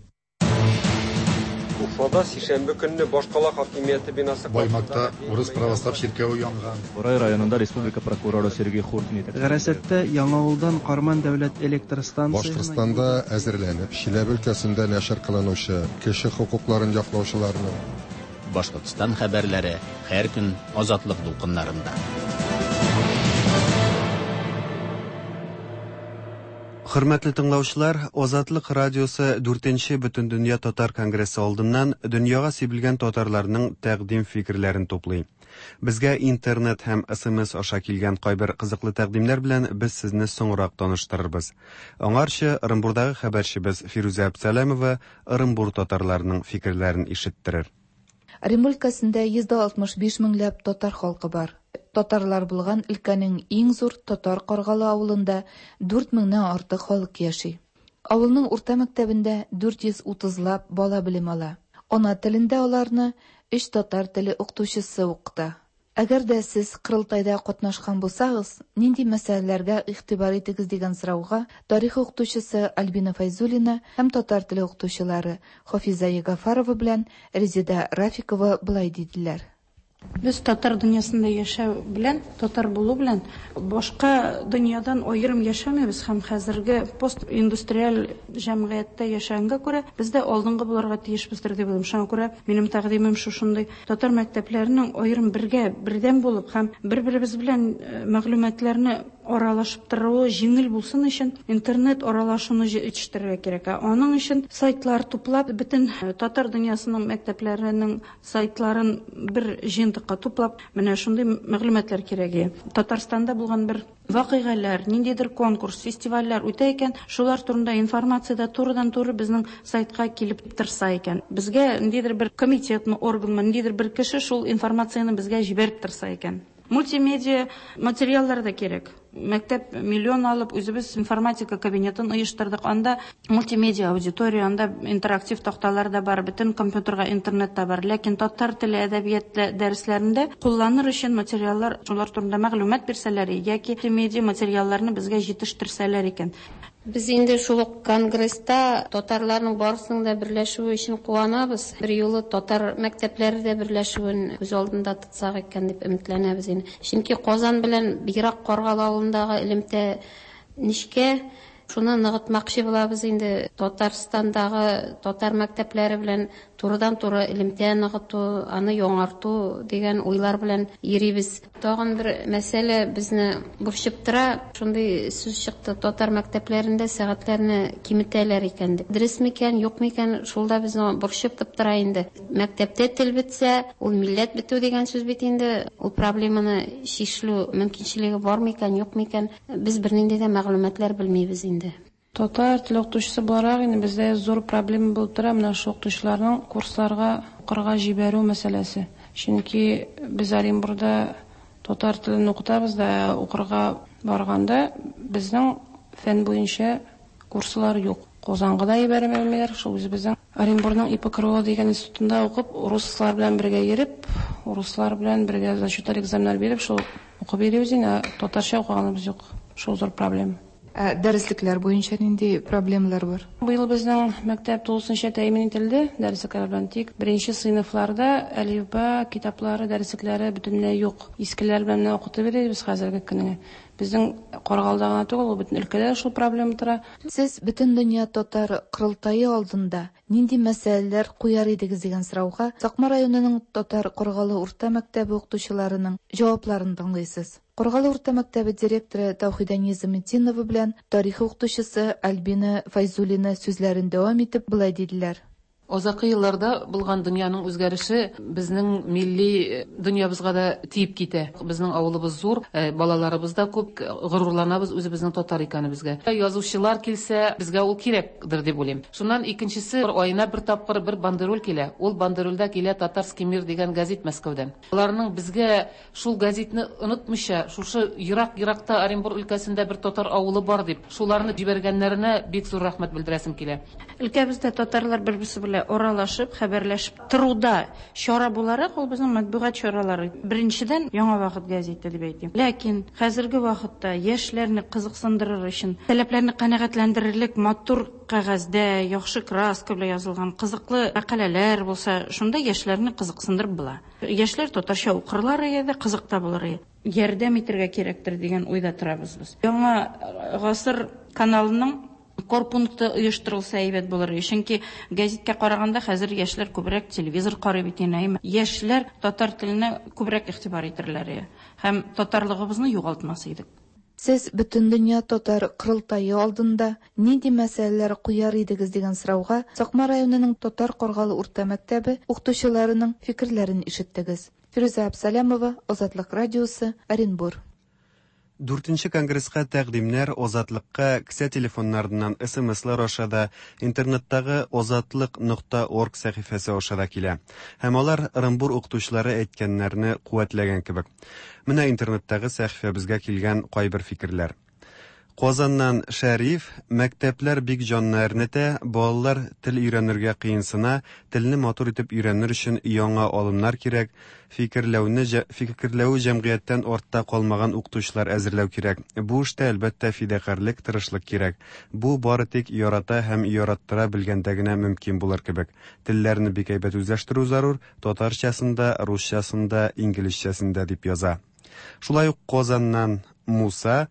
Уфада сишәмбе көнне башкала хакимияте бинасы Баймакта урыс православ чиркәве янган. Бурай районында республика прокуроры Сергей Хуртин. Гарасәттә Яңавылдан Карман дәүләт электр станциясенә Башкортстанда әзерләнеп, Чиләбе өлкәсендә нәшер кылынучы кеше хокукларын яклаучыларның Башкортстан хәбәрләре һәр көн Азатлык дулкыннарында. Хөрмәтле тыңлаучылар, Азатлык радиосы дүртенче Бөтендөнья татар конгрессы алдыннан дөньяга сибелгән татарларның тәкъдим фикерләрен туплый. Безгә интернет һәм эс эм эс аша килгән кайбер кызыклы тәкъдимнәр белән без сезне соңрак таныштырырбыз. Аңарчы Ырынбурдагы хәбәрчебез Фирүзә Әбсәләмова Ырынбур татарларының фикерләрен ишеттерер. Ырынбур өлкәсендә йөз дә алтмыш биш меңләп татар халкы бар. Татарлар булган өлкәнең иң зур Татар Каргалы авылында дүрт меңнән артык халык яши. Авылның урта мәктәбендә дүрт йөз утызлап бала белем ала. Ана телендә аларны өч татар теле укытучысы укыта. Әгәр дә сез Кырылтайда катнашкан булсагыз, нинди мәсьәләләргә игътибар итегез дигән сорауга тарих укытучысы Альбина Файзуллина һәм татар теле укытучылары Хафиза Ягафарова белән Резеда Рафикова былай диделәр. Без татар дөньясында яшәү белән, татар булу белән башка дөньядан аерым яшәмибез һәм хәзерге постиндустриаль җәмгыятьтә яшәгәнгә күрә без дә алдынгы булырга тиешбездер дип уйлыйм. Шуңа күрә минем тәкъдимем шушындый: татар мәктәпләренең аерым бергә, бердәм булып һәм бер-беребез белән мәгълүматларны аралашып торуы җиңел булсын өчен интернет аралашуны җитештерергә кирәк. Аның өчен сайтлар туплап, бөтен татар дөньясының мәктәпләренең сайтларын бер җыентыкка туплап, менә шундый мәгълүматлар кирәк. Татарстанда булган бер вакыйгалар, ниндидер конкурс, фестивальләр үтә икән, шулар турында информация да турыдан-туры безнең сайтка килеп торса икән. Безгә ниндидер бер комитетмы, органмы, ниндидер бер кеше шул информацияне безгә җибәреп торса икән. Мультимедиа материаллар да кирәк. Мәктәп миллион алып, үзебез информатика кабинетын оештырдык. Анда мультимедиа аудитория, анда интерактив такталар да бар, бөтен компьютерга интернет та бар. Ләкин татар теле, әдәбият дәресләрендә кулланыр өчен материаллар, шулар турында мәгълүмат бирсәләр яки мультимедиа материалларны безгә җитештерсәләр икән. Без инде шул ук конгресста татарларның барысының да берләшүе өчен куанабыз. Бер юлы татар мәктәпләре дә берләшүен күз алдында тотсак икән дип өметләнәбез инде. Чөнки Казан белән бигрәк Каргалы авылындагы элемтә нечкә, шуны ныгытмакчы булабыз инде. Татарстандагы татар мәктәпләре белән турыдан-туры элемтә ныгыту, аны яңарту дигән уйлар белән йөрибез. Тагын бер мәсьәлә безне борчып тора. Шундый сүз чыкты: татар мәктәпләрендә сәгатьләрне киметәләр икән дип. Дөрес микән, юк микән, шул да безне борчып тора инде. Мәктәптә тел бетсә, ул милләт бетү дигән сүз бит инде. Ул проблеманы чишелү мөмкинчелеге бар микән, юк микән, без бернинди дә мәгълүматлар белмибез инде. Татар теле укытучысы буларак инде бездә зур проблема булып тора менә шул укытучыларның курсларга укырга җибәрү мәсьәләсе. Чөнки без Оренбургда татар телен укытабыз да, укырга барганда безнең фән буенча курслар юк. Казанга да җибәрмиләр, шул үзебезнең Оренбургның И П К Р О дигән институтында укып, руслар белән бергә йөреп, руслар белән бергә зачетлар, экзаменнар биреп, шул укып йөрибез инде, татарча укыганыбыз юк. Шул зур проблема. Ә дәреслекләр буенча нинди проблемалар бар? Быел безнең мәктәп тулысынча тәэмин ителде дәреслекләр белән. Тик беренче сыйныфларда әлифба китаплары, дәреслекләре бөтенләй юк. Искеләр белән генә укытып йөрибез хәзерге көнгә. Безнең Каргалда гына түгел, ул бөтен өлкәдә шул проблема тора. Сез Бөтендөнья татар корылтае алдында нинди мәсьәләләр куяр идегез дигән сорауга Сакмар районының Татар Каргалы урта мәктәбе укытучыларының җавапларын тыңлыйсыз. Каргалы урта мәктәбе директоры Таухида Низаметдинова белән тарих укытучысы Альбина Файзуллина сүзләрен дәвам итеп болай диделәр. Азакы елларда булган дөньяның үзгәреше безнең милли дөньябызга да тиеп китә. Безнең авылыбыз зур, балаларыбыз да күп, горурланабыз үзебезнең татар икәнебезгә. Язучылар килсә, безгә ул кирәкдер дип уйлыйм. Шуннан икенчесе, аена бер тапкыр бер бандероль килә. Ул бандерольдә килә «Татарский мир» дигән газет Мәскәүдән. Аларның безгә шул газетны онытмыйча, шушы ерак-еракта Оренбург өлкәсендә бер татар авылы бар дип, шуларны җибәргәннәренә бик зур рәхмәт белдерәсем килә. Өлкәбездә татарлар бер-берсе белән аралашып, хәбәрләшеп торуда чара буларак ул безнең матбугат чаралары. Беренчедән, «Яңа вакыт» газеты дип әйтим. Ләкин хәзерге вакытта яшьләрне кызыксындырыр өчен, таләпләрне канәгатьләндерерлек матур кәгазьдә, яхшы краска белән язылган кызыклы мәкаләләр булса, шунда яшьләрне кызыксындырып була. Яшьләр татарча укырлар иде, кызык та булыр иде. Ярдәм итәргә кирәктер дигән уйда торабыз без. «Яңа гасыр» каналының корпункты оештырылса әйбәт булыр. Чөнки гәзиткә караганда хәзер яшьләр күбрәк телевизор карый бит инде. Яшьләр татар теленә күбрәк игътибар итерләр һәм татарлыгыбызны югалтмас идек. Сез Бөтендөнья татар корылтае алдында нинди мәсьәләләр куяр идегез дигән сорауга Сакмар районының Татар Каргалы урта мәктәбе укытучыларының фикерләрен ишеттегез. Фирүзә Абсалямова, Азатлык радиосы, Оренбур. Дүртенче конгресска тәкъдимнәр Азатлыкка кесә телефоннарыннан С М Слар аша да, интернеттагы азатлык нокта орг сәхифәсе аша да килә. Һәм алар Ырынбур укытучылары әйткәннәрне куәтләгән кебек. Менә интернеттагы сәхифәбезгә килгән кайбер фикерләр. Казаннан Шәриф, мәктәпләр бик җанны әрнетә, балалар тел өйрәнергә кыенсына, телне матур итеп өйрәнер өчен яңа алымнар кирәк, фикерләүне фикерләү җәмгыятьтән артта калмаган укытучылар әзерләү кирәк. Бу эштә әлбәттә фидакарьлек, тырышлык кирәк. Бу бары тик ярата һәм яраттыра белгәндә генә мөмкин булыр кебек. Телләрне бик әйбәт үзләштерү зарур, татарчасын да, русчасын да, инглизчәсен дә, дип яза. Шулай ук Казаннан Муса,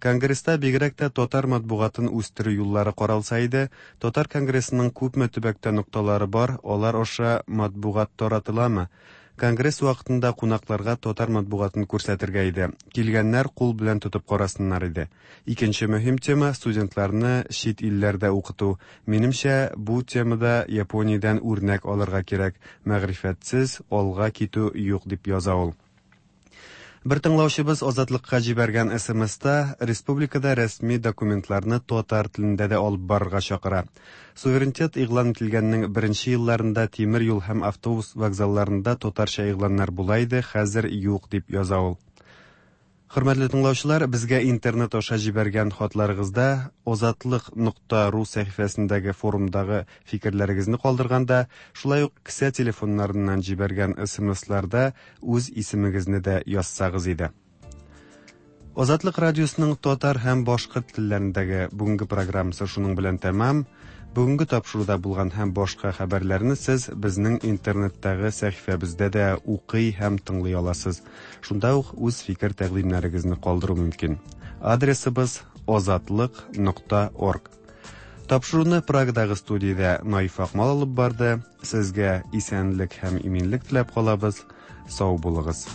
Конгресста бигрәк тә татар матбугатын үстерү юллары каралса иде, Татар конгрессының күпме төбәктә нокталары бар, алар аша матбугат таратыламы? Конгресс вакытында кунакларга татар матбугатын күрсәтергә иде. Килгәннәр кул белән тотып карасыннар иде. Икенче мөһим тема студентларны чит илләрдә укыту. Минемчә, бу темада Япониядән үрнәк алырга кирәк. Мәгърифәтсез алга китү юк, дип яза ул. Бер тыңлаучыбыз Азатлыкка җибәргән СМСта республикада рәсми документларны татар телендә дә алып барырга чакыра. Суверенитет игълан ителгәннең беренче елларында тимер юл һәм автобус вокзалларында татарча игъланнар була иде, хәзер юк, дип яза ул. Хөрмәтле тыңлаучылар, безгә интернет аша җибәргән хатларыгызда озатлык нокта ру сәхифәсендәге форумдагы фикерләрегезне калдырганда, шулай ук кесә телефоннарыннан җибәргән СМСларда үз исемегезне дә язсагыз иде. Азатлык радиосының татар һәм башкорт телләрендәге бүгенге программасы шуның белән тәмам. Бүгенге тапшыруда булган һәм башка хәбәрләрне сез безнең интернеттагы сәхифәбездә дә укый һәм тыңлый аласыз. Шунда ук үз фикер тәкъдимнәрегезне калдыру мөмкин. Адресыбыз озатлык нокта орг. Тапшыруны Прагадагы студиядә Наиф Акмал алып барды. Сезгә исәнлек һәм иминлек теләп калабыз. Сау булыгыз.